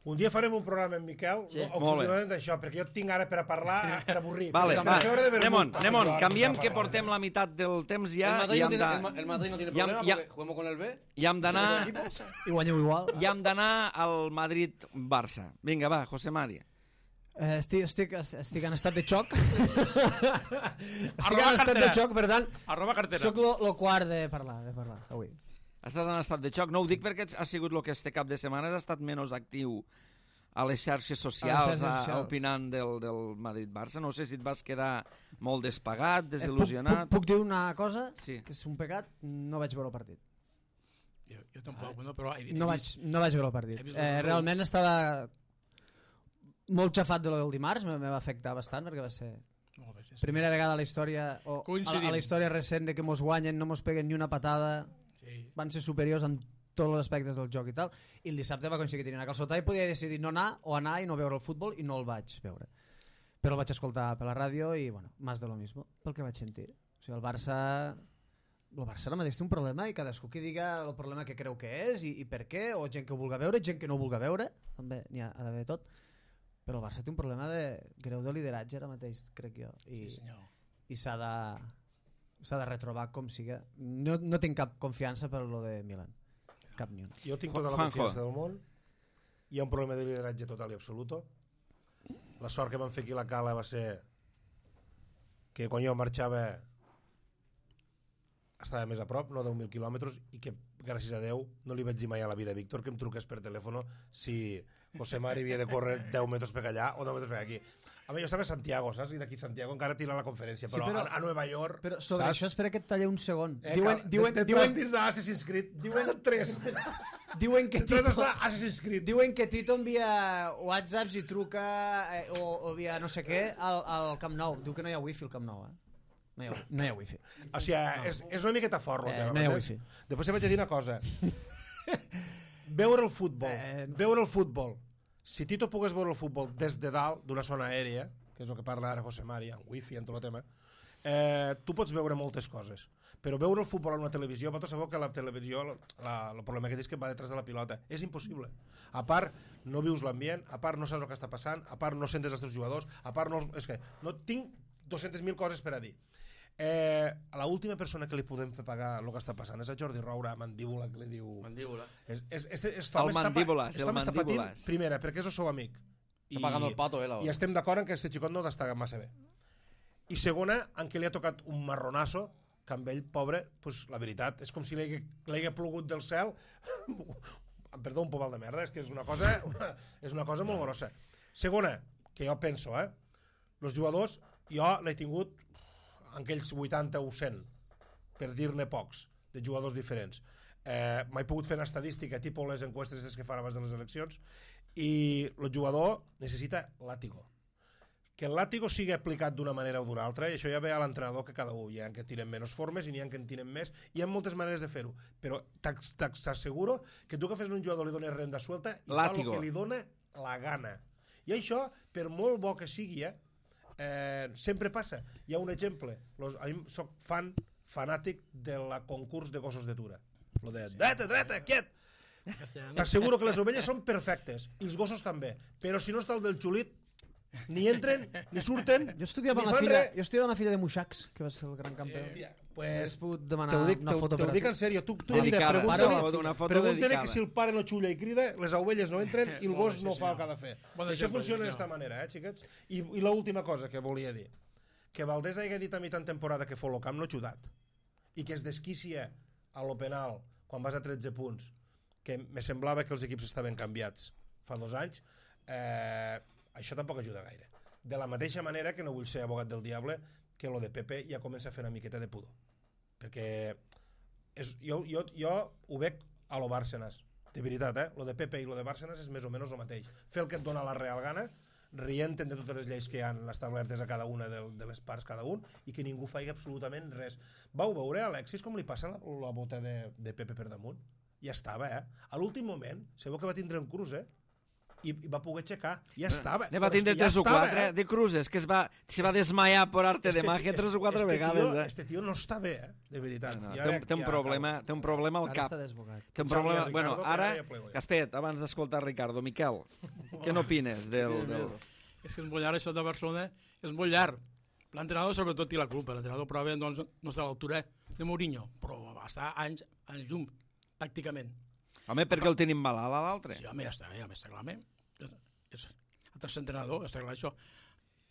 Un dia farem un programa amb Miquel Sí. no, exclusivament d'això, perquè jo et tinc ara per a parlar, per avorrir. Vale, Perquè va, fer hora de vermut. anem-on, anem-on. Jo ara Canviem per que parlar. portem la meitat del temps ja El Madrid, i no hem tiene, de- el, Ma- el Madrid no tiene Ya- problema ya- porque jugamos con el B. i hem d'anar I guanyeu igual. i hem d'anar al Madrid-Barça. Vinga, va, José María. Eh, estic, estic, estic en estat de xoc. estic Arroba en estat de cartera. xoc, per tant, Arroba cartera. sóc lo, lo quart de parlar, de parlar avui. Estàs en estat de xoc? No ho dic perquè ha sigut el que este cap de setmana has estat menys actiu a les xarxes socials, xarxes a- socials. opinant del, del Madrid-Barça. No sé si et vas quedar molt despagat, Eh, puc, desil·lusionat... puc, puc dir una cosa? Sí. Que és un pecat, no vaig veure el partit. Jo, jo tampoc, no, però he, he No vaig, vist- no vaig veure el partit. he vist Eh, el- realment estava molt xafat de lo del dimarts, me, me va afectar bastant perquè va ser Molt bé, sí, sí. primera vegada a la història o a, Coincidim. a la història recent de que mos guanyen, no mos peguen ni una patada, Sí. van ser superiors en tots els aspectes del joc i tal, i el dissabte va aconseguir tenir una calçotada i podia decidir no anar o anar i no veure el futbol, i no el vaig veure, però el vaig escoltar per la ràdio i bueno, más de lo mismo, pel que vaig sentir. O sigui, el Barça el Barça ara mateix té un problema i cadascú que diga el problema que creu que és i, i per què, o gent que ho vulga veure, gent que no ho vulga veure, també n'hi ha, ha d'haver tot, però el Barça té un problema de greu de lideratge ara mateix, crec jo, i, Sí, senyor. i s'ha de s'ha de retrobar com siga. No, no tinc cap confiança per lo de Milan, cap ni una. Jo tinc tota la Juanjo. confiança del món. Hi ha un problema de lideratge total i absoluto. La sort que van fer aquí a la cala va ser que quan jo marxava estava més a prop, no deu mil quilòmetres, i que, gràcies a Déu, no li vaig dir mai a la vida a Víctor que em truqués per telèfon si José Mari havia de córrer deu metres per allà o deu metres per aquí. A mi, jo estava a Santiago, saps? I d'aquí Santiago encara tira la conferència, però, sí, però a, a Nova York... Però sobre saps? això espera que et tallé un segon. Eh, diuen, cal, diuen, de, de diuen, dins d'Assassin's Creed, diuen tres. diuen que Tres Tito, està Assassin's Creed. diuen que Tito envia whatsapps i truca eh, o, o via no sé què al, al Camp Nou. Diu que no hi ha wifi al Camp Nou, eh? No hi ha, no hi ha wifi. O sigui, no. és, és una miqueta fort el Eh, tema. no hi ha m'entens? wifi. Després et vaig a dir una cosa. Veure el futbol, Eh, no. veure el futbol. Si Tito pogués veure el futbol des de dalt d'una zona aèria, que és el que parla ara José Mari, en wifi, en tot el tema, eh, tu pots veure moltes coses. Però veure el futbol en una televisió, vosaltres sabeu que la televisió, la, el problema que és que va detrás de la pilota. És impossible. A part, no vius l'ambient, a part no saps el que està passant, a part no sentes els teus jugadors, a part no... És que no tinc dues-centes mil coses per a dir. Eh, a l'última persona que li podem fer pagar el que està passant és a Jordi Roura, Mandíbula, que li diu... Mandíbula. És, és, és, és, El Mandíbules, el està patint, Mandíbules. primera, perquè és el seu amic. Està pagant el pato, eh, la I estem d'acord en que aquest xicot no està massa bé. I segona, en què li ha tocat un marronasso, que amb ell, pobre, pues, la veritat, és com si li hagués plogut del cel, perdó, un pomal de merda, és que és una cosa, una, és una cosa molt grossa. Segona, que jo penso, eh, els jugadors, jo l'he tingut en aquells vuitanta o cent, per dir-ne pocs, de jugadors diferents. Eh, M'he pogut fer una estadística, tipus les enquestes que fan abans de les eleccions, i el jugador necessita làtigo. Que el làtigo sigui aplicat d'una manera o d'una altra, i això ja ve a l'entrenador, que cada un, hi ha que tiren menys formes i n'hi ha que en tiren més, hi ha moltes maneres de fer-ho, però t'asseguro que tu que fes un jugador li dones renda suelta i Látigo. fa el que li dona la gana. I això, per molt bo que sigui, eh, eh, sempre passa. Hi ha un exemple, los, a mi soc fan, fanàtic de la concurs de gossos de tura. Lo de dreta, dreta, quiet! T'asseguro que les ovelles són perfectes, i els gossos també, però si no està el del xulit, ni entren, ni surten, Jo estudiava ni amb la fan filla, res. jo estudiava amb la filla de Muixacs, que va ser el gran campió. Hòstia, Has pues, pogut te demanar ho dic, una te, foto te per ho a dic tu. en sèrio. Tu, tu Dedicada. pregunta-li Una foto- una foto pregunta-li dedicada. que si el pare no xulla i crida, les ovelles no entren i el gos sí, no fa el senyor. que ha de fer. Bon Això exemple, funciona senyor. d'esta manera, eh, xiquets? I, i l'última cosa que volia dir, que Valdés hagi dit a mi tan temporada que fot el camp no xudat, i que es desquicia a lo penal quan vas a tretze punts, que me semblava que els equips estaven canviats fa dos anys, eh, això tampoc ajuda gaire. De la mateixa manera que no vull ser abogat del diable, que lo de Pepe ja comença a fer una miqueta de pudor. Perquè és, jo, jo, jo ho veig a lo Bárcenas, de veritat, eh? Lo de Pepe i lo de Bárcenas és més o menys el mateix. Fer el que et dona la real gana, rient de totes les lleis que hi han establertes a cada una de, de les parts cada un, i que ningú faci absolutament res. Vau veure a Alexis com li passa la, la bota de, de Pepe per damunt? Ja estava, eh? A l'últim moment, sabeu que va tindre un cruz, eh? I, i va poder aixecar, ja estava. Ne va Però és tindre que ja tres o estava, quatre eh? de cruces, que es va, se va desmaiar por arte de Este- magia tres o este- quatre este vegades. Tio, Eh? este tio no està bé, eh? De veritat. No, Ja té, un, veig té, un ja problema, acabo. té un problema al Ara cap. està desbocat. Té un Xavi problema... i Bueno, Ricardo, ara, que ara ja plego jo. Gaspet, abans d'escoltar Ricardo, Miquel, què n'opines del... del... És que és molt llarg, això de Barcelona és molt llarg. L'entrenador sobretot té la culpa. L'entrenador probablement doncs, no està a l'altura de Mourinho, però va estar anys, anys llum, tàcticament. Home, perquè el tenim malalt a l'altre. Sí, home, ja està, ja està clar. home. És, és el tercer entrenador, està clar això.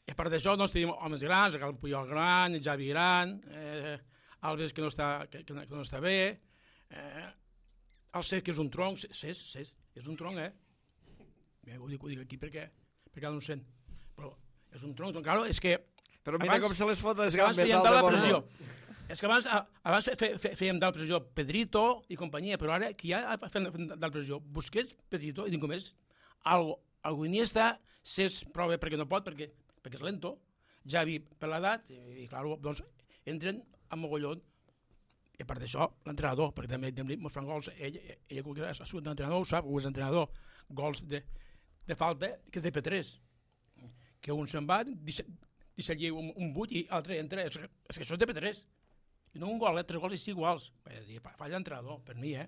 I a part d'això, doncs, tenim homes grans, el Puyol gran, el Javi gran, eh, Alves que no està, que, que no està bé, eh, el Cesc que és un tronc, Cesc, Cesc, és un tronc, eh? Bé, ho, dic, ho dic aquí perquè, perquè no ho sent. Però és un tronc, doncs, claro, és que... Però mira abans- com se les fot les és que abans gambes fèiem al tal de la Bono. pressió. És que abans, a- abans fe, fe, fèiem tal pressió Pedrito i companyia, però ara qui ha fet tal pressió? Busquets, Pedrito, i dic com és, algo, algo Iniesta, Cesc prova perquè no pot, perquè, perquè és lento, Javi per l'edat, i, i clar, doncs entren a mogollon. I a part d'això, l'entrenador, perquè també també mos fan gols, ell, ell, ell ha sigut l'entrenador, ho sap, ho és entrenador, gols de, de falta, que és de P tres, que un se'n va, deixa, deixa allí un, un buit i l'altre entra, és, és que això és de P tres, i no un gol, eh, tres gols és iguals, falla l'entrenador, per mi, eh.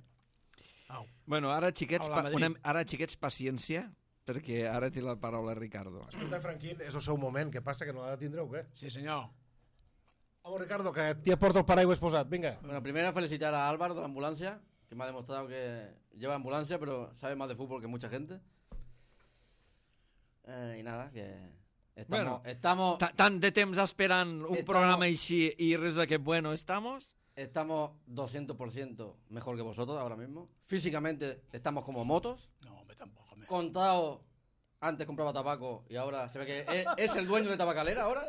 Au. Bueno, ara xiquets, Hola, pa, Madrid. una, ara xiquets paciència, perquè ara té la paraula Ricardo. Escolta, Franquín, és el seu moment. Què passa, que no l'ha de tindre o què? Sí, senyor. Vamos, Ricardo, que t'hi porto el paraigües posat. Vinga. Bueno, primero felicitar a Álvaro de la ambulancia, que me ha demostrado que lleva ambulancia, pero sabe más de fútbol que mucha gente. Eh, y nada, que estamos... Bueno, estamos Ta- Tant de temps esperant un Estamos- programa així i res de que bueno estamos... estamos doscientos por ciento mejor que vosotros ahora mismo. Físicamente estamos como motos. No, hombre, tampoco. Me... Contado, antes compraba tabaco y ahora se ve que es, es el dueño de Tabacalera ahora.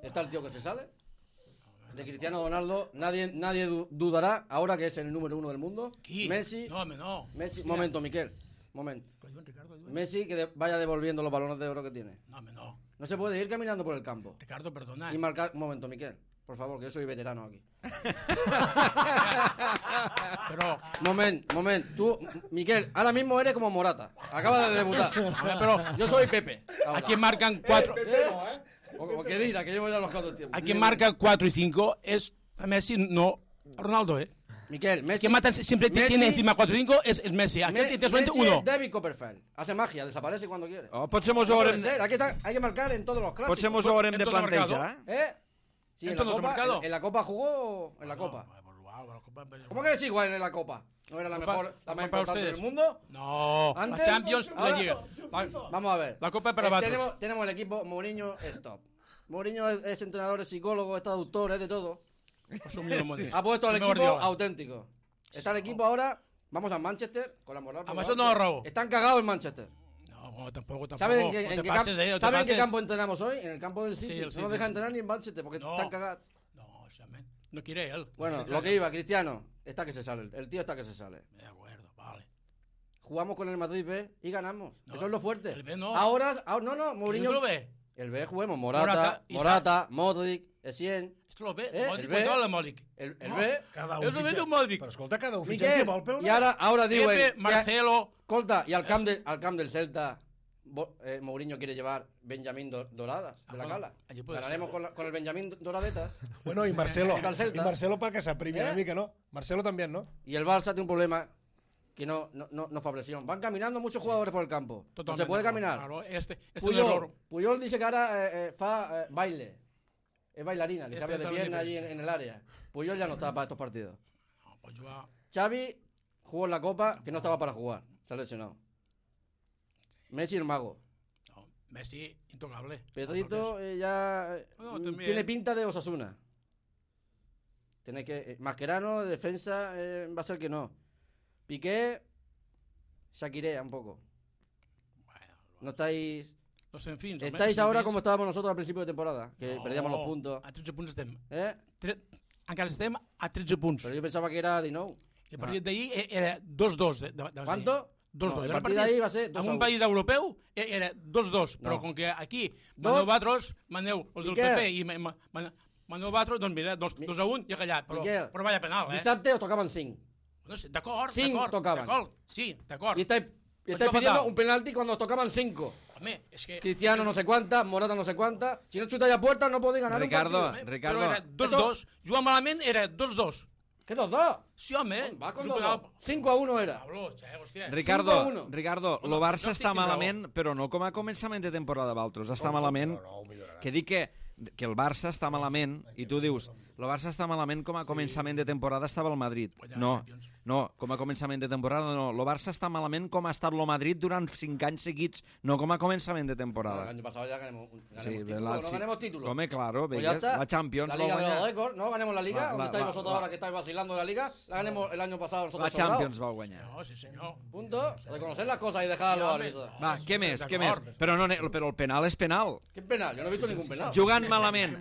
Está el tío que se sale. De Cristiano Ronaldo, nadie, nadie du- dudará ahora que es el número uno del mundo. Qui? Messi, No, hombre, no. Messi, Hòstia. momento, Miquel, momento. Perdón, Ricardo, ayúdame. Messi que de- vaya devolviendo los balones de oro que tiene. No, hombre, no. No se puede ir caminando por el campo Ricardo, perdona. y marcar. Un momento, Miquel, por favor, que yo soy veterano aquí. Pero, Moment, moment, tú, Miquel, ahora mismo eres como Morata. Acaba de debutar. hombre, pero Yo soy Pepe. ahora. aquí marcan cuatro. ¿Eh? O, o que dirá, que llevo ya los cuatro tiempos. Aquí marca cuatro y cinco es a Messi, no Ronaldo, ¿eh? Miquel, Messi. Quien mata siempre Messi- tiene encima cuatro y cinco es, es Messi. Aquí Me- tiene solamente Messi uno. es David Copperfield. Hace magia, desaparece cuando quiere. Oh, potser mos No ho puede haurem, ser, aquí está, hay que marcar en todos los clásicos. potser mos ho haurem de Entonces, plantejar. ¿Eh? Sí, en la, Entonces, copa, marcado. en, en la Copa jugó en la Copa. ¿Cómo que es igual en la Copa? ¿No era la Copa- mejor, la más Copa para importante ustedes. del mundo? No, Antes, la Champions, ahora- la Liga. La- Vamos a ver. La Copa para Eh, nosotros. tenemos, tenemos el equipo Mourinho es top. Mourinho es, es entrenador, es psicólogo, es traductor, es de todo. Pues un mínimo de- Ha puesto al el mejor equipo Guardiola. auténtico. Está el equipo ahora, vamos a Manchester con la moral. por Además, lo no, alto. Raúl. Están cagados en Manchester. No, bueno, tampoco, tampoco. ¿Saben, en qué, no en te qué pases, camp- eh, no te ¿saben en qué pases. campo entrenamos hoy? En el campo del Sí, City. el no City. nos dejan entrenar ni en Manchester porque No. están cagados. No, o sea, men, no quiere él. Bueno, No quiere lo que él. iba, Cristiano, está que se sale. El tío está que se sale. De acuerdo, vale. Jugamos con el Madrid B y ganamos. No, Eso es lo fuerte. el B no. Ahora, ahora- no, no, ¿Quién Mourinho. lo ve? El B juguemos. Morata, Morata, Morata, Isaac. Modric, Essien. Esto lo ve. Eh, Modric, el B. controla el Modric. El, el No. B. Cada És el fitxa- Beto Modric. Però escolta, cada un fitxa el Miquel, que vol pel i ara, ara diuen... Pepe, que- Marcelo. Escolta, y al camp, de- al camp del Celta, Bo- eh, Mourinho quiere llevar Benjamín Do- Doradas de Ah, la bueno, Cala. allí puede Ganaremos ser. con, la- con el Benjamín Doradetas. Bueno, i Marcelo. Contra el Celta. I Marcelo perquè s'aprimi Eh? una mica, no? Marcelo també, no? Y el Barça tiene un problema que no, no, no, no fa presión. Van caminando muchos jugadores por el campo. No Totalmente. se puede caminar. Claro, este, este es un Puyol, error. Puyol dice que ahora eh, eh, fa eh, baile. Es bailarina, que Este sabe es de la pierna allí en, diferencia. en el área. Puyol ya no está para estos partidos. No, pues yo a- Xavi jugó en la Copa que no estaba para jugar. Se ha lesionado. Messi el mago. no, Messi, intocable. Pedrito eh, ya eh, No, mm, también. tiene pinta de Osasuna. Tiene que eh, Mascherano, de defensa, eh, va a ser que no. Piqué, Shakirea un poco. Bueno, No estáis... los enfins. Estáis ahora como estábamos nosotros al principio de temporada, que No, perdíamos los puntos. A tretze punts estem. ¿Eh? Tre... Encara estem a tretze punts. Pero yo pensaba que era dinou. I el partit d'ahir e- era dos dos. De, de, de, ¿Cuánto? dos dos. No, el Era partit d'ahir va ser dos En a un u. país europeu e- era dos dos. Però No. com que aquí Dos. maneu vosaltres, maneu els del Miquel. P P i ma- ma- ma- maneu vosaltres, doncs mira, dos, Mi- dos a un i a callat. Però, Miquel. però vaya penal, eh? Dissabte os tocaban cinc. No sé, d'acord, Cinc d'acord. tocaven. D'acord, sí, d'acord. Y estáis, y Pues estáis no pidiendo faltaba. un penalti cuando os tocaban cinco. Home, és que... Cristiano no sé cuántas, Morata no sé cuántas. Si no chutáis a puerta no podéis ganar Ricardo, un partido. Home, Ricardo. Però era dos dos. Jugant malament era dos dos. ¿Qué dos dos? Sí, home. Va con És un dos penal- dos. cinco a uno era. Pablo, che, hòstia. Ricardo, cinco a uno. Ricardo, Home, el Barça no estic està dient raó. malament, però no com a començament de temporada d'altres. Està malament, No, no, ho millorarà. que dic que, que el Barça està malament, i tu dius, el Barça està malament com a començament de temporada estava el Madrid. Guanyar No, Champions. no, com a començament de temporada no. El Barça està malament com ha estat el Madrid durant cinc anys seguits, no com a començament de Bueno, el temporada. año pasado ya ganemos, ganemos Sí, título. la- no sí. ganemos título. Come, claro, Pues ya veigues, está. la Champions La va Liga de los guanyar. récords, ¿no? Ganemos la Liga. La- ¿Dónde la- estáis la- vosotros la- ahora que estáis vacilando de la Liga? La ganemos el año pasado nosotros La sobrados. Champions va guanyar. No, sí, senyor. Punto. Reconocer las cosas y dejar a los Sí, home, árbitros. Va, sí, què més, què més? d'acord. Però, no, però el penal és penal. ¿Qué penal? Yo no he visto ningún penal. Jugant malament,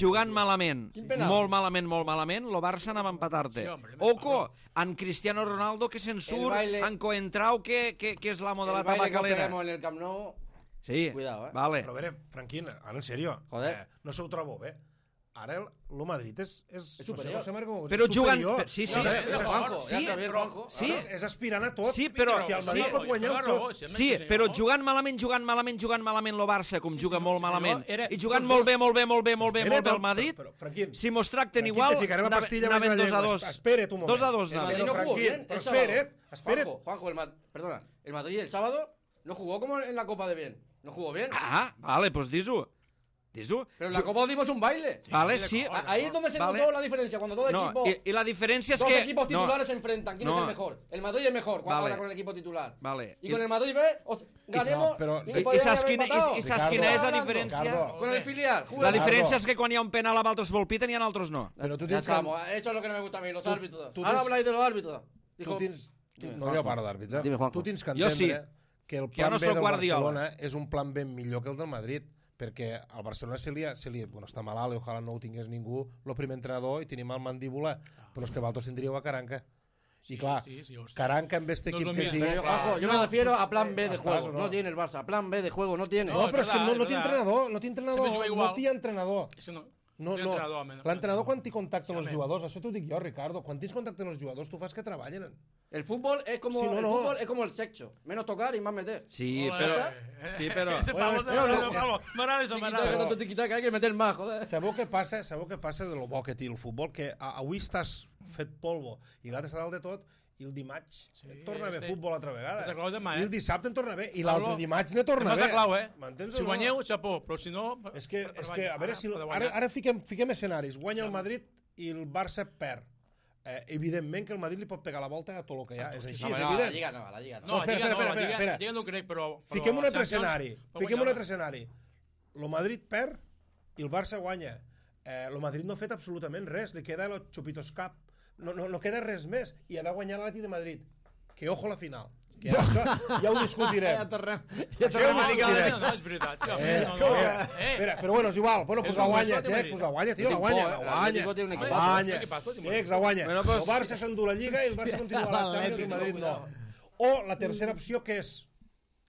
jugant malament, Quin penal? molt malament, molt malament, el Barça anava a empatar-te. Sí, hombre, Oco, en Cristiano Ronaldo que se'n surt, baile- en Coentrao que, que, que és l'amo de la El baile que tabacalera. peguemos en el Camp Nou. Sí, Cuidado, eh. vale. Però a veure, Franquín, ara en sèrio, Joder. eh, no se ho trobo bé. Ara el, el Madrid és... És, És superior. No sé, Marc, com- Però és jugant... superior. Sí, sí, No, sí, ja està, Juanjo, sí, ja està bé, Juanjo. sí, És, és aspirant a tot. Sí, però- Si el Madrid sí, pot guanyar tot. sí, però jugant malament, jugant malament, jugant malament el Barça, com juga molt malament, era- i jugant molt bé, molt bé, molt bé, molt bé, molt bé el Madrid, Però, però, Franquín, si mos tracten Franquín, igual, te ficaré la anava- pastilla anaven més a la dos a llengua. dos. Espera't un moment. Dos a dos, El anaven. Madrid no Pero, jugó Franquín, bien. pero el sábado. espere, espere. Juanjo, Juanjo, el Ma- perdona. El Madrid el sábado no jugó como en la Copa de bien. No jugó bien. Ah, vale, doncs dis-ho. Dis-ho. Pero en la Copa dimos un baile. Vale, de sí. acuerdo. Ahí es donde se Vale. notó la diferencia, cuando dos No, equipos... i, i la diferència és Dos que... equipos no, titulares se enfrentan. ¿Quién no. es el mejor? El Madrid es mejor cuando Vale. ahora con el equipo titular. Vale. Y con el Madrid B, os- ganemos no, pero- y, I- I, podrían saps haber quina, empatado. i, i saps quina és la Ricardo. diferència? Ricardo. Con el filial. La juega- diferència és que quan hi ha un penal a altres vol piten i en altres no. Però tu Ya tens que... estamos. Eso es lo que no me gusta a mí, los árbitros. tú Ahora tens- habláis de los árbitros. Tu Dijo, tens... Tu, Dime, no, Juanjo. jo parlo d'àrbits, eh? Dime, Juanjo. Tu tens que Jo sí. entendre que el Que jo plan no B sóc del Guardiola. Barcelona és un plan B millor que el del Madrid, perquè al Barcelona se li, ha- se li bueno, està malalt i ojalà no ho tingués ningú, el primer entrenador, i tenim el mandíbula, però és que vosaltres tindríeu a Caranca. I clar, sí, sí, hòstia. Caranca amb este No és equip lo que mismo. sigui... Pero, Claro. Juanjo, yo me refiero a plan B de Estàs, juego. o no? No tiene el Barça. Plan B de juego no tiene. No, No, però és és que no, verdad, no és té verdad. entrenador, no té entrenador, Sempre juga no igual. té entrenador. Això no. No, Té no. entrenador, home, no. L'entrenador quan t'hi contacta amb els Home. jugadors, això t'ho dic jo, Ricardo, quan tens contacte amb els jugadors tu fas que treballen. El fútbol es como Sí, no, el no. fútbol es como el sexo. Menos tocar y más meter. Sí, Joder, però... eh. Sí, però... Ese Bueno, pavo, este- ese no, no. pavo. M'agrada això, Tiquitaca, m'agrada. tanto tiquitaca, hay que meter más, joder. Sabeu què passa? Sabeu què passa de lo bo que té el futbol? Que a- avui estàs fet polvo i l'altre està dalt de tot i el dimarts Sí, et torna a haver este- futbol altra vegada. és la clau demà, I el eh? dissabte en torna a haver i Pablo, l'altre dimarts ne torna a Demà és haver. la clau, eh? M'entens Si o no? guanyeu, xapó, però si no... És que, és que a veure si... Ara, Ara, ara fiquem, fiquem escenaris. Guanya el Madrid i el Barça perd. Eh, evidentment que el Madrid li pot pegar la volta a tot el que hi ha. És així, No, és no, a la evident. Lliga no, a la Lliga no. No, espera, Lliga no, espera, la Lliga, espera. Lliga no ho crec, però... però Fiquem un altre Champions escenari. va Fiquem un guanyar-la. altre escenari. El Madrid perd i el Barça guanya. Eh, el Madrid no ha fet absolutament res. Li queda el Chupitos Cup. No, no, no queda res més. I ha de guanyar l'Atlètic de Madrid. Que ojo a la final. Que ja, això, ja ho discutirem. Ja tornem. Ja No, ho no, discutirem. no, és veritat. Sí, Eh, no, que- no, eh, eh. espera, però bueno, és igual. Bueno, pues És la un guanya, gol, Tec, pues la guanya, tio, la Tiene guanya, un la po, eh, guanya. l'Atlético tiene un La equipazo. guanya. Equipazo, tiene un Tex, la guanya. Bueno, pues- El Barça s'endú la Lliga i el Barça continua a la Champions i el Madrid no. O la tercera opció, que és?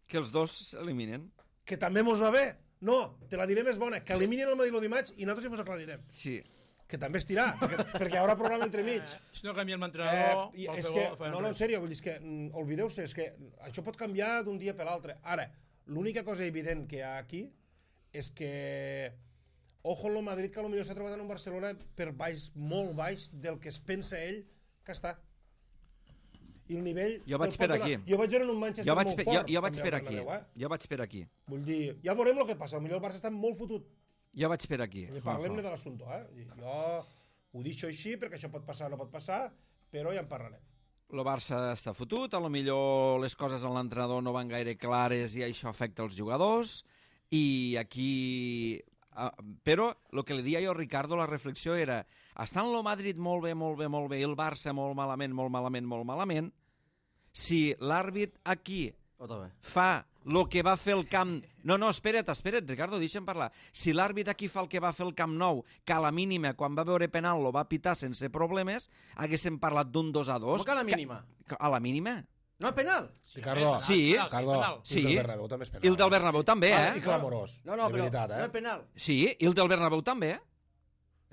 Que els dos s'eliminen. Que també mos va bé. No, te la diré més bona, que eliminin el Madrid el dimarts i nosaltres ja mos aclarirem. Sí. Que també estirà, perquè, perquè hi haurà programa entremig. Si no canviem Eh, l'entrenador... i pel és seu que, gol, farem no, no, en res. sèrio, vull dir, és que, mm, oblideu-se, és que això pot canviar d'un dia per l'altre. Ara, l'única cosa evident que hi ha aquí és que ojo en el Madrid, que potser s'ha trobat en un Barcelona per baix, molt baix del que es pensa ell que està. I el nivell... Jo vaig te'l per pot donar. aquí. Jo vaig veure en un Manchester Jo vaig, molt per, jo, fort. jo vaig també per al aquí. Bernabéu, eh? Jo vaig per aquí. Vull dir, ja veurem el que passa. Potser el Barça està molt fotut. Jo vaig per aquí. I parlem-ne de l'assumpte, eh? I jo ho deixo així perquè això pot passar o no pot passar, però ja en parlarem. El Barça està fotut, a lo millor les coses en l'entrenador no van gaire clares i això afecta els jugadors, i aquí... Uh, però el que li dia jo a Ricardo, la reflexió era, estant el Madrid molt bé, molt bé, molt bé, i el Barça molt malament, molt malament, molt malament, si l'àrbit aquí Otra vez. fa el que va fer el Camp... No, no, espera't, espera't, Ricardo, deixa'm parlar. Si l'àrbit aquí fa el que va fer el Camp Nou, que a la mínima, quan va veure penal, lo va pitar sense problemes, haguéssim parlat d'un dos a dos. ¿Cómo que a la mínima? Que- A la mínima? ¿No es penal? Ricardo, Sí, penal, Ricardo, penal. i el del Sí. Bernabéu també és penal. I el del Bernabéu també, Ah, eh? I clamorós, No, no, de pero veritat, eh? no es penal. Sí, i el del Bernabéu també, eh?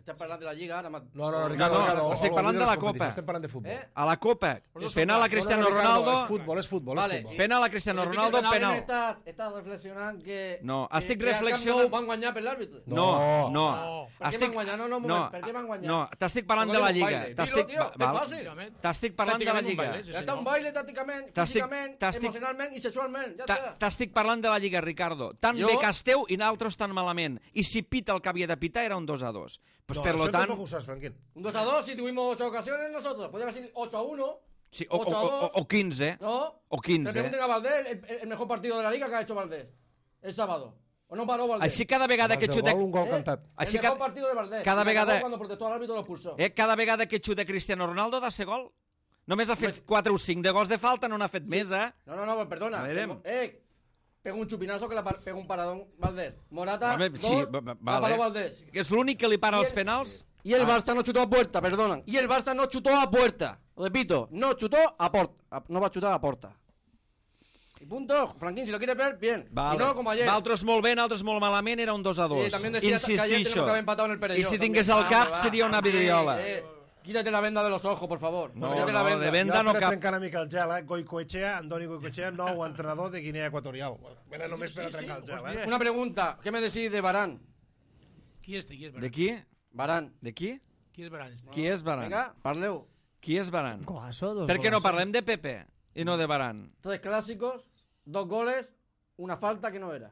Estás hablando de la Liga ahora más... No, no, no, Ricardo, No, no, Ricardo, estic olvida parlant de les la competicions, Copa. Estem parlant de futbol. ¿Eh? A la Copa, dos penal són a Cristiano No, no, Ricardo, Ronaldo, és futbol, és futbol, Vale, és futbol. penal a Cristiano Però Ronaldo, penal, penal. Estás, estás reflexionando que... No, que- estic que al Camp reflexionant- Nou van guanyar per l'àrbit. No, no. No. Per què van guanyar? No, no, un moment, per què van guanyar? No, t'estic parlant Porque de la era un Lliga. baile. T'estic Dilo, tio, va- és val. fàcil. T'estic parlant de la Tàcticament un Lliga. baile, sí, Ya está un senyor. baile tácticamente, T'estic- físicamente, t'estic- emocionalmente y sexualmente. Ya Ta- está. T'estic parlant de la Lliga, Ricardo. Tan Jo- bé que esteu i nosaltres tan malament. I si pita el que havia de pitar era un dos a dos. Pues No, per lo això tant... tampoc ho saps, Franquín. Un dos a dos si tuvimos ocho ocasiones nosotros. Podríamos decir ocho a uno. Sí, o, o, ocho a o, dos. o quinze. ¿No? O Le quinze. pregunten a Valdés el, el mejor partido de la Liga que ha hecho Valdés. El sábado. ¿O no paró Valdés? Així cada vegada que Abans del xuta... gol, un gol ¿Eh? cantat. Així el mejor ca- partido de Valdés. cada Y acabó vegada- cuando protestó al árbitro lo expulsó. Eh, cada vegada que xuta Cristiano Ronaldo da ser gol. Només ha fet Pues- quatre o cinc de gols de falta, no n'ha fet més, eh? No, no, no, pues perdona. A verem. Tengo- Eh, pega un chupinazo que la par- pega un paradón Valdés. Morata, Home, dos, sí, va- va- la vale. paró Valdés. Que és l'únic que li para I els el- penals. Y el Barça no chutó a puerta, perdonan. Y el Barça no chutó a puerta. Repito, no chutó a puerta. No va a chutar a puerta. Y punto. Franquín, si lo quieres ver, bien. Vale. Si no, como ayer. D'altres molt bé, d'altres molt malament, era un dos a dos. Sí, también decía que ayer tenemos Insistixo. que haber empatado en el Perelló. I si también. tingués al cap, Vamos, va. seria una Eh, vidriola. eh, quítate la venda de los ojos, por favor. No, Quítate no, la venda. de venda Jo no per cap. trencar una mica el gel, eh? Goicoechea, Andoni Goicoechea, nou entrenador de Guinea Equatorial. Bueno, només per a trencar el gel, eh? Una pregunta. ¿Qué me decís de Barán? Qui és, qui és De Baran? qui? Barán. De qui? Qui és Baran? este? Qui és Baran? Venga, parleu. Qui és Baran? Golazo, dos Per què no golazos. parlem de Pepe i no de Baran? Tres clásicos, dos goles, una falta que no era.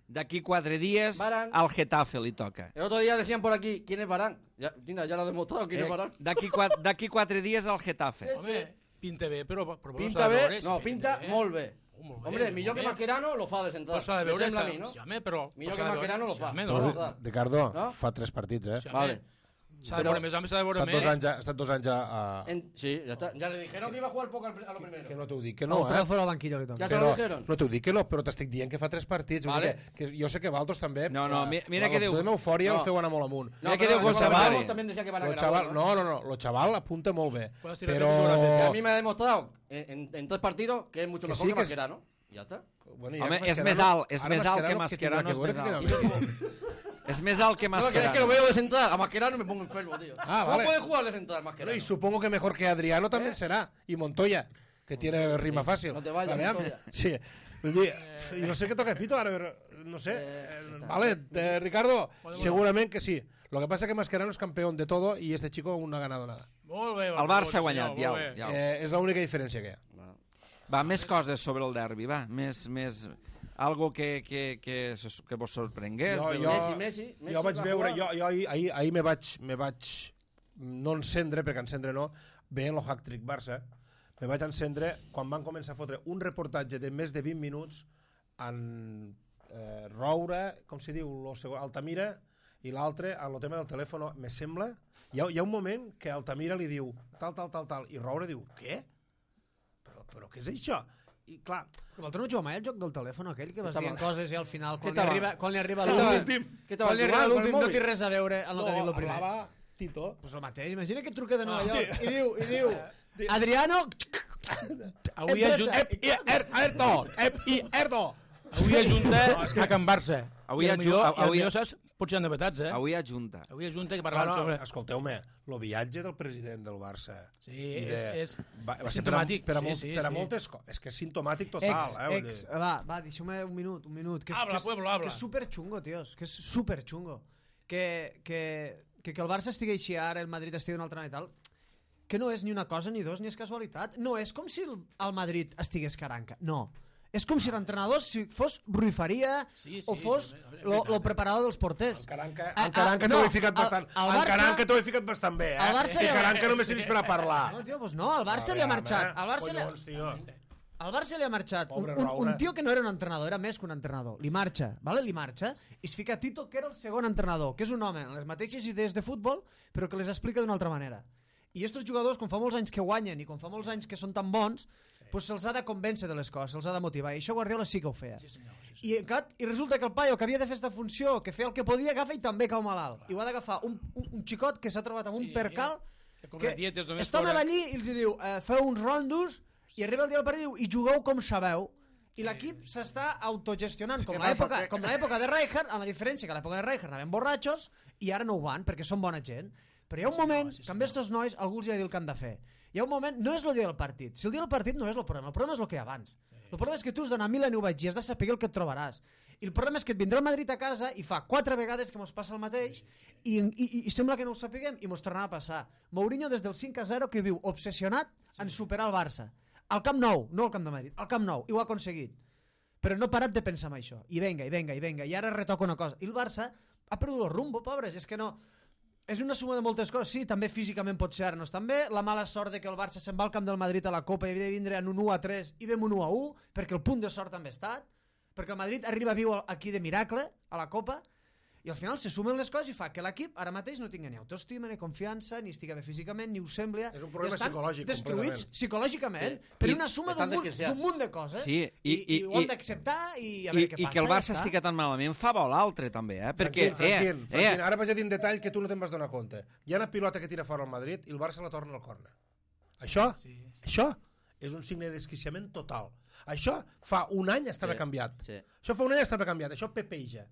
D'aquí quatre dies Varane. al Getafe li toca. El otro día decían por aquí, ¿quién es Varane? Ya, mira, ya lo ha demostrado, ¿quién es Varane? D'aquí quatre, d'aquí quatre dies al Getafe. Home, pinta bé, però... però Pinta s'ha de bé? veure, No, sí, pinta bé. molt bé. Oh, molt bé, Hombre, molt millor que bé. Mascherano lo fa de central. Però s'ha de Me veure... sembla a s'ha- mi, no? Sí, home, però... Millor però que s'ha de veure- Mascherano lo sí, fa. home, No, no. no. Ricardo, No? fa tres partits, eh? Sí, home. Vale. S'ha de Però- veure més, home, s'ha de Ha veure estat dos més. anys, a- ha estat dos anys a... a... En- sí, ya está. Ya le dijeron que iba a jugar poco al pri- a lo primero. Que no t'ho dic que No, no, però eh? fora al banquillo li toca. Ja Que te lo no, dijeron. no t'ho dic que no, però t'estic dient que fa tres partits. Vull Vale. dir que, que jo sé que Valdos també... No, no, eh, mi- mira la- que diu- la eufòria No. el feu anar molt amunt. No, Mira que pero diu con González. Ramos también decía que Varane Lo era chaval, bueno, ¿eh? no, no, no, lo chaval apunta molt bé. Quan es tira Però... bé, dura Que a bé. mí me ha demostrado en, en, en tres partidos que es mucho Que mejor sí, que que es- Mascherano. Ya está. Bueno, Home, ja és més alt, és ara més alt que Mascherano, Mascherano, és què més tindrà alt. que veure que És més alt que No, que es que lo Mascherano. veo de central. A Mascherano me pongo enfermo, tío. Ah, ¿Cómo vale. puede jugar de central Bueno, Mascherano? y supongo que mejor que Adriano también ¿Eh? será. Y Montoya, que tiene rima fácil. no te vayas, Vale, Montoya. Sí. Vull dir, jo sé que toca pito ara, però no sé. Eh, vale, eh, Ricardo, segurament que sí. Lo que pasa es que Mascherano es campeón de todo y este chico aún no ha ganado nada. Molt bé. El Barça ha guanyat, ja, molt bé. ja. Eh, és l'única diferència que hi ha. Va, més coses sobre el derbi, va. Més, més... Algo que, que, que, se- que vos sorprengués. Jo, de- jo, Messi, Messi, Messi jo vaig va veure, jugar. jo, jo ahir, ahir, ahir me vaig, me vaig no encendre, perquè encendre no, veient el hat-trick Barça, me vaig encendre quan van començar a fotre un reportatge de més de vint minuts en eh, Roura, com se diu, lo segon, Altamira, i l'altre, en el tema del telèfon, me sembla, hi ha, hi ha un moment que Altamira li diu tal, tal, tal, tal, i Roura diu, què? Però, però què és això? I clar, L'altre no juga mai al joc del telèfon aquell que vas Què dient tal? coses i al final, quan, Què li tal? arriba, quan li arriba Què tal? l'últim, Què quan li arriba tal? l'últim Con el no té móvil? res a veure amb el que no, diu el primer. parlava Tito. Pues el mateix, imagina que et truca de Nova Ah, York i diu, i diu Adriano... Avui Hem ajunta, tret- I Er- Erdo! Ep- I Erdo! avui ajunta a Can Barça. Avui I el aju- millor, i el avui- millor, saps? Potser hi ha novetats, eh? Avui ajunta. Avui ajunta que No, parlant no, sobre... escolteu-me, el viatge del president del Barça... Sí, i és, és va, va ser per a, simptomàtic. per a, sí, molt, sí, per a sí. moltes coses. És que és simptomàtic total, Ex, eh? vull ex, dir. va, va, deixeu-me un minut, un minut. Que és, Habla, que és, pueblo, habla. Que és superxungo, tios, que és superxungo. Que, que, que, que el Barça estigui així ara, el Madrid estigui d'una altra manera i tal, que no és ni una cosa ni dos, ni és casualitat. No és com si el, el Madrid estigués caranca, no. És com si l'entrenador si fos Rui Faria Sí, sí, o fos sí, és lo, veritat, lo eh? preparador dels porters. El Caranca, Ah, el Caranca ah, t'ho no, he ficat el- bastant. el El Barça- Caranca t'ho he ficat bastant bé, eh? el Barça que li ha- Caranca només serveix per a parlar. No, tio, doncs no, al Barça li ha Aviam, marxat. eh? Al Barça li ha... Collons, tio. Al Barça li ha marxat un, Pobre un, Raura. un tio que no era un entrenador, era més que un entrenador. Li marxa, vale? Li marxa, i es fica Tito, que era el segon entrenador, que és un home amb les mateixes idees de futbol, però que les explica d'una altra manera. I aquests jugadors, quan fa molts anys que guanyen i quan fa molts anys que són tan bons, pues se'ls ha de convèncer de les coses, se'ls ha de motivar. I això Guardiola sí que ho feia. Sí, senyor, sí, senyor. I, encat, I resulta que el paio que havia de fer aquesta funció, que feia el que podia, agafa i també cau malalt. I ho ha d'agafar un, un, un xicot que s'ha trobat amb un Sí, percal que cobra dietes només està fora. allí i els diu eh, feu uns rondos i arriba el dia del partit i diu i jugueu com sabeu. I l'equip s'està autogestionant, com què l'època passa? com l'època de Rijkaard, amb la diferència que a l'època de Rijkaard anaven borratxos i ara no ho van, perquè són bona gent. Però hi ha un Sí, moment senyor, sí, que amb estos nois algú els ha de dir el que han de fer. Hi ha un moment, no és el dia del partit. Si el dia del partit no és el problema, el problema és el que hi ha abans. El problema és que tu has d'anar a Milan i ho vaig dir, has de saber el que et trobaràs. I el problema és que et vindrà el Madrid a casa i fa quatre vegades que mos passa el mateix i, i, i sembla que no ho sapiguem i mos tornarà a passar. Mourinho des del cinc a zero que viu obsessionat en superar el Barça. Al Camp Nou, no al Camp de Madrid, al Camp Nou, i ho ha aconseguit. Però no ha parat de pensar en això. I venga, i venga, i venga, i ara retoca una cosa. I el Barça ha perdut el rumbo, pobres, és que no... És una suma de moltes coses, sí, també físicament pot ser ara no estan bé, la mala sort de que el Barça se'n va al camp del Madrid a la Copa i havia de vindre en un u a tres i vam un u a u, perquè el punt de sort també ha estat, perquè el Madrid arriba viu aquí de miracle a la Copa, i al final se sumen les coses i fa que l'equip ara mateix no tingui ni autoestima, ni confiança, ni estigui bé físicament, ni ho sembla. És un problema Estan psicològic, destruïts completament. psicològicament, Sí. per I una suma estan d'un munt, desquiciats. d'un munt de coses, Sí, i- i, i, i- ho han i- d'acceptar i a I, veure què I passa. que el ja Barça està. estigui tan malament fa bo l'altre, també, eh? Perquè, Franquín, Franquín, eh, Franquín, eh, ara vaig a dir un detall que tu no te'n vas donar compte. Hi ha una pilota que tira fora al Madrid i el Barça la torna al córner. Això, sí, sí. això és un signe de desquiciament total. Això fa un any estava Sí, canviat. sí. Això fa un any estava canviat. Això pepeja.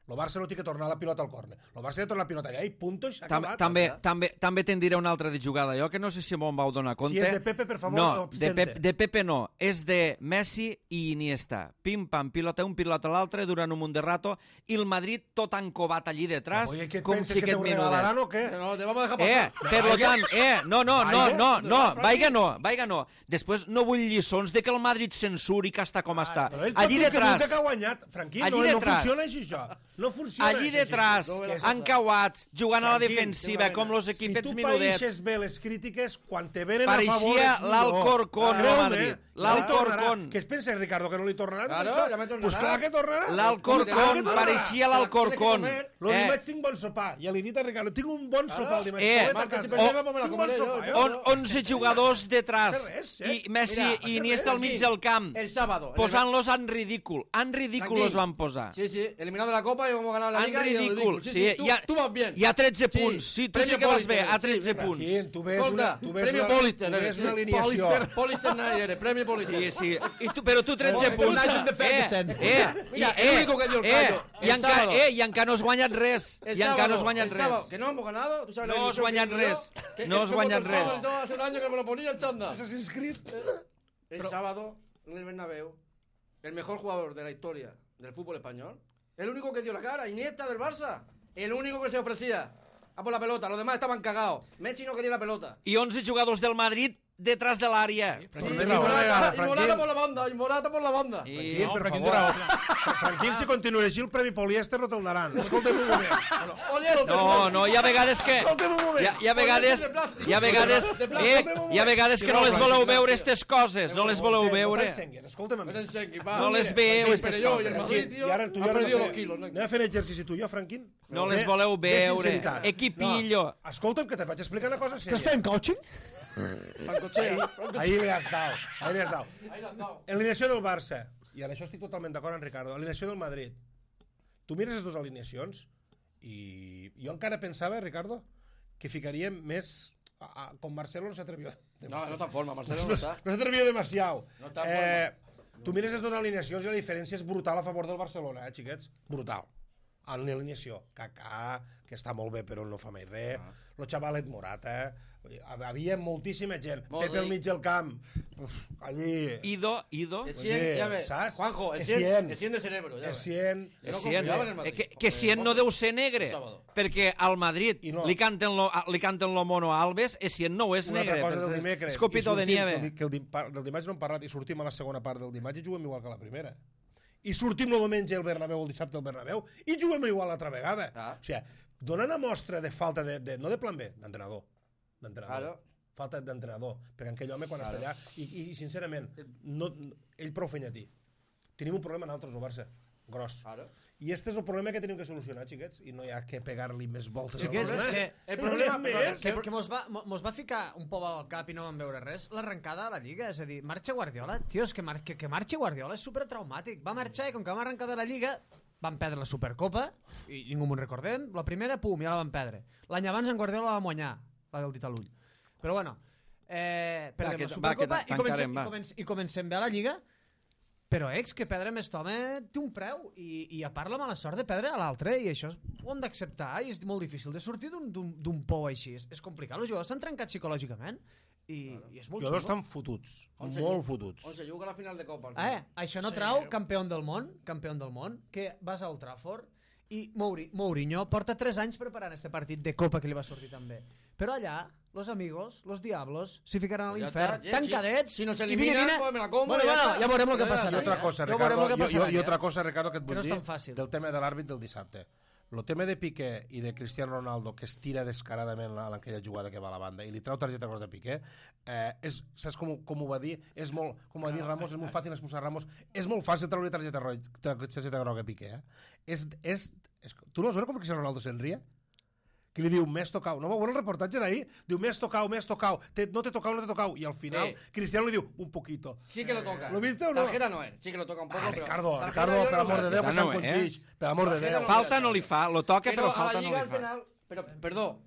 El Barça no té que tornar la pilota al córner. El Barça ha de tornar la pilota allà i punto, i s'ha Tam, acabat. també, també, també te'n diré una altra de jugada, jo que no sé si me'n vau donar compte. Si és de Pepe, per favor, no, de, abstente. Pep, de Pepe no, és de Messi i Iniesta. Pim-pam, pilota un, pilota l'altre, durant un munt de rato, i el Madrid tot encovat allí detrás, Oye, què et com penses, si que aquest te ho minutet. regalaran o què? No, te vamos a dejar Eh, pasar. per lo tant, eh, no, no, no, Vaiga? no, no, No, vaiga no, vaiga no. Després no vull lliçons de que el Madrid censuri que està com està. Però ell Allí pot dir que detrás, diu que ha guanyat. Franquí, Allí no, no detrás. funciona així, això. No funciona allí així, detrás, això. no, encauats, jugant a la Tranquil, defensiva, sí, com los Si equipets tu minudets. paeixes bé les crítiques, quan te venen a favor Pareixia és millor. l'Alcorcón, Ah, no creu-me, Madrid. no li tornarà. L'Alcorcón. Què es pensa, Ricardo, que no li tornarà? Claro, Això? ja me tornarà. Pues clar que tornarà. L'Alcorcón, Clar que pareixia tornarà. l'Alcorcón. Lo Eh, dimarts tinc bon sopar. Ja li he dit a Ricardo, tinc un bon sopar el dimarts. Eh, Solet a Marca, casa. si perdem, me la Tinc bon comeré sopar, yo. jo. on, onze jugadors detrás Passa res, eh? i Messi Mira, i passa Iniesta res. al mig del camp, El sábado. posant-los en ridícul. En ridícul Tranquil. los van posar. Sí, sí, eliminado la Copa y hemos ganado la En Liga. y en el ridícul. Sí, Sí, sí, tú, hi ha, tú vas bien. hi ha tretze Sí, punts. Sí, tu sí premio que vas bé, Pulitzer, a tretze sí, punts. Aquí, tu ves Escolta, una, tu ves premio una, Pulitzer, tu ves sí. una alineació. Polister, Polister nadie eres, premio Polister. Sí, sí. I tu, però tu tretze Escolta, punts. United de Ferguson. Eh, eh, Mira, i- el único que dio el eh, callo, i el encara, sábado. eh, i encara no has guanyat res. El I encara no has sábado, guanyat el sábado, res. que no hemos ganado, tú sabes la No has ilusión guanyat que me dio, res. que No has el guanyat Chavo res. entró hace un año que me lo ponía el chanda. Assassin's Creed. El sábado, en el Bernabéu, el mejor jugador de la historia del fútbol español, el único que dio la cara, Iniesta del Barça, el único que se ofrecía a por la pelota, los demás estaban cagados. Messi no quería la pelota. I onze jugadors del Madrid detrás de l'àrea. Però Y també raó, Morata, vegada, y Morata Franquín. por la banda, y Morata por la banda. I... Franquín, No, per Franquín favor. té raó. Franquín, si continua així, el Premi Poliéster no te'l daran. Escolta'm un moment. No, no, hi ha vegades que... Escolta'm un moment. Hi ha, hi ha vegades... Hi ha vegades... Eh, hi ha vegades que no les voleu veure, aquestes coses. No les voleu No veure. t'ensenguis, escolta'm a No mi. te enseñes, va. No les veu, aquestes Pero yo y el coses. Madrid, tío, I ara tu i ha ara perdido anem dos a kilos. fer- ¿no? anem a fer exercici tu i jo, Franquín? No les De- voleu de veure. sinceritat. Equipillo. No, escolta'm, que te vaig explicar una cosa Estàs sèria. fent coaching? Francochea, Francochea. Ahí li has dado, ahí li has dado. Ahí la has dado. Alineació del Barça. I en això estic totalment d'acord amb Ricardo. Alineació del Madrid. Tu mires les dues alineacions i jo encara pensava, Ricardo, que ficaríem més... A, a, com Marcelo no s'atrevió. No, no está en forma, Marcelo no No, está. no s'atrevió demasiado. No està en eh, tu mires les dues alineacions i la diferència és brutal a favor del Barcelona, eh, xiquets? Brutal. En l'alineació. Kaká, que està molt bé però no fa mai res. Ah. Lo xavalet Morata. Havia moltíssima gent. Modric. Pepe al mig del camp. Uf, allí... Ido, Ido. El cien, Oye, ya ves. ¿sabes? Juanjo, el Es cien, cien. el cien de cerebro, ya ves. Essien... Yo no Essien, confiaba en el Madrid. eh, que, que Porque Essien no José- deu ser negre, el sábado. perquè al Madrid I no. li canten lo, li canten lo mono a Alves, Essien no és Una altra negre, cosa del és- dimecres. és copito I de sortim, nieve. Que el, que el, dim- par- del dimarts no hem parlat i sortim a la segona part del dimarts i juguem igual que la primera. I sortim el diumenge al Bernabéu, el dissabte al Bernabéu, i juguem igual l'altra vegada. Ah. O sigui, donen una mostra de falta de, de no de plan B, d'entrenador. D'entrenador. Claro. Falta d'entrenador. Perquè aquell home, quan Claro. està allà, i, i sincerament, no, ell prou fenyatí. Tenim un problema nosaltres, el Barça. Gros. Claro. I este és el problema que tenim que solucionar, xiquets, i no hi ha que pegar-li més voltes Xiquets, al és problema. que- El problema, No però, n'hi ha més. Que, que mos, va, mo- mos va ficar un pou al cap i no vam veure res, l'arrencada de la Lliga, és a dir, marxa Guardiola, tio, és que, mar que, que marxi Guardiola és supertraumàtic, va marxar i com que vam arrencar bé la Lliga, van perdre la Supercopa, i ningú m'ho recordem, la primera, pum, ja la van perdre. L'any abans en Guardiola la vam guanyar, la del dit a l'ull. Però bueno, eh, perdem que- la va, Supercopa que i, comencem, tancarem, va. i, comencem, i comencem bé a la Lliga, però, ex, que perdre amb aquest home té un preu i, i a part la mala sort de perdre a l'altre i això ho hem d'acceptar i és molt difícil de sortir d'un pou així. És, és complicat, els jugadors s'han trencat psicològicament i, i és molt Els jugadors xungo. estan fotuts, On se molt juga- fotuts. On se juga la final de Copa. al Eh, final. això no Sí. trau campió del món, campió del món, que vas a Old Trafford i Mouri, Mourinho porta tres anys preparant este partit de Copa que li va sortir també. Però allà, los amigos, los diablos, s'hi ficaran a Pues ya l'infern, está, ja, tancadets, si- si nos i eliminan, vine, vine. pues me la como bueno, y ya bueno, está. ja veurem el que Ja, passarà. I otra cosa, ja veurem Ricardo, el que jo, jo, passarà. i otra cosa, Ricardo, que et Que vull no és dir tan fàcil. del tema de l'àrbit del dissabte. El tema de Piqué i de Cristiano Ronaldo, que es tira descaradament en aquella jugada que va a la banda i li trau targeta groga de Piqué, eh, és, saps com, com ho va dir? És molt, com va dir Ramos, és molt fàcil expulsar Ramos, és molt fàcil treure targeta, roja, targeta groga a Piqué. Eh? És, és, és, tu no vas veure com Cristiano Ronaldo se'n ria? Que li diu, m'has tocau. No va veure el reportatge d'ahir? Diu, m'has tocau, m'has tocau. Te, no t'he tocau, no t'he tocau. I al final, Sí. Cristiano li diu, un poquito. Sí que lo toca. ¿Lo viste o no? Tarjeta no es. Sí que lo toca un poco. Ah, pero Ricardo, tarjeta Ricardo, yo per no amor de veo. Déu, que Tarjeta se'n no, eh? conquix. Per amor de Tarjeta Déu. no. Falta no li fa, lo toca però Pero a falta la no Liga li al fa. final... Pero, perdó,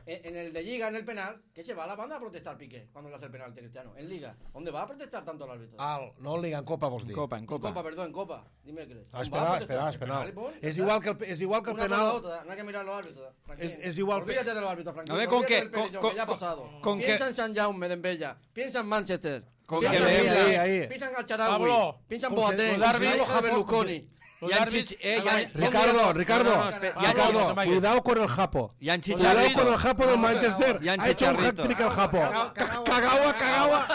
En el de Liga, en el penal, que se va a la banda a protestar Piqué cuando le hace el penal de Cristiano. En Liga, ¿dónde va a protestar tanto el árbitro? Al, no en Liga, en Copa vols En dir. Copa, en En Copa. Copa, perdón, en Copa. Dime qué Ah, és penal, és penal, és penal. És igual que el, és igual que el Una penal... por la otra, no hay que mirar los árbitros. Franklin. Es- es igual- Olvídate de los árbitros, Franklin. A ver, ¿con Olvídate qué? del Perelló, Con- que ya ha con- pasado. con qué? Piensa en San Jaume de Embella. Piensa en Manchester. Con piensa qué? en Ahí, Milan. ahí. Piensa en Alcharawi. Pablo, Piensa en con- Boateng. los árbitros- Piensa en Berlusconi. Los Hi ha àrbits... xich- eh, hi ha- Ah, Ricardo, Ricardo, No, no, espera, hi ha- Ricardo, no, no, cuidado con el Japo. Hi ha Cuidado xicharritos. con el Japo del Manchester. Hi ha Ha hecho un chicharrito. hat-trick el Japo. Cagao, cagao, Cagaua, cagaua.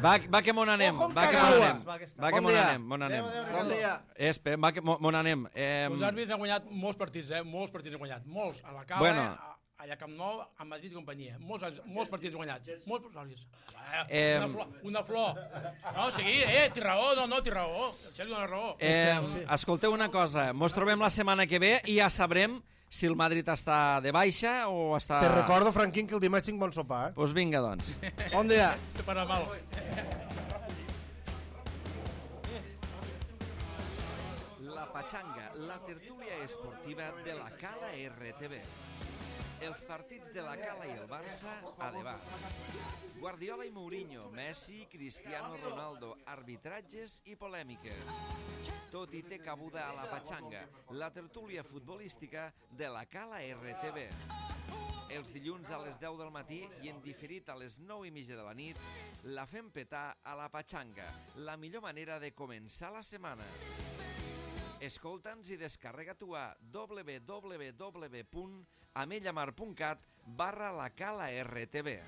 Va, va que mon anem, Ojo amb va que mon Cagauas. anem, va que Bon mon dia. anem, mon anem. Bon dia. Eh, Espera, va que mon anem. Eh, Els àrbits han guanyat molts partits, eh? Molts partits han guanyat. Molts. A la Cala, Bueno. a- allà a Camp Nou, a Madrid i companyia. Molts, àrbits- molts partits guanyats. Molts àrbits. Eh, Una flor. Una flor. No, sigui, eh, té raó, no, no, té raó. En sèrio, dona raó. eh, escolteu una cosa, mos trobem la setmana que ve i ja sabrem si el Madrid està de baixa o està... Te recordo, Franquín, que el dimarts tinc bon sopar, eh? Pues vinga, doncs. Bon dia. Te farà mal. La Pachanga, la tertúlia esportiva de la Cala R T V. Els partits de la Cala i el Barça a debat. Guardiola i Mourinho, Messi, Cristiano Ronaldo, arbitratges i polèmiques. Tot hi té cabuda a la Pachanga, la tertúlia futbolística de la Cala R T V. Els dilluns a les deu del matí i en diferit a les nou i mitja de la nit, la fem petar a la Pachanga, la millor manera de començar la setmana. Escolta'ns i descarrega-t'ho a w w w punt amellamar punt cat barra la Cala R T V.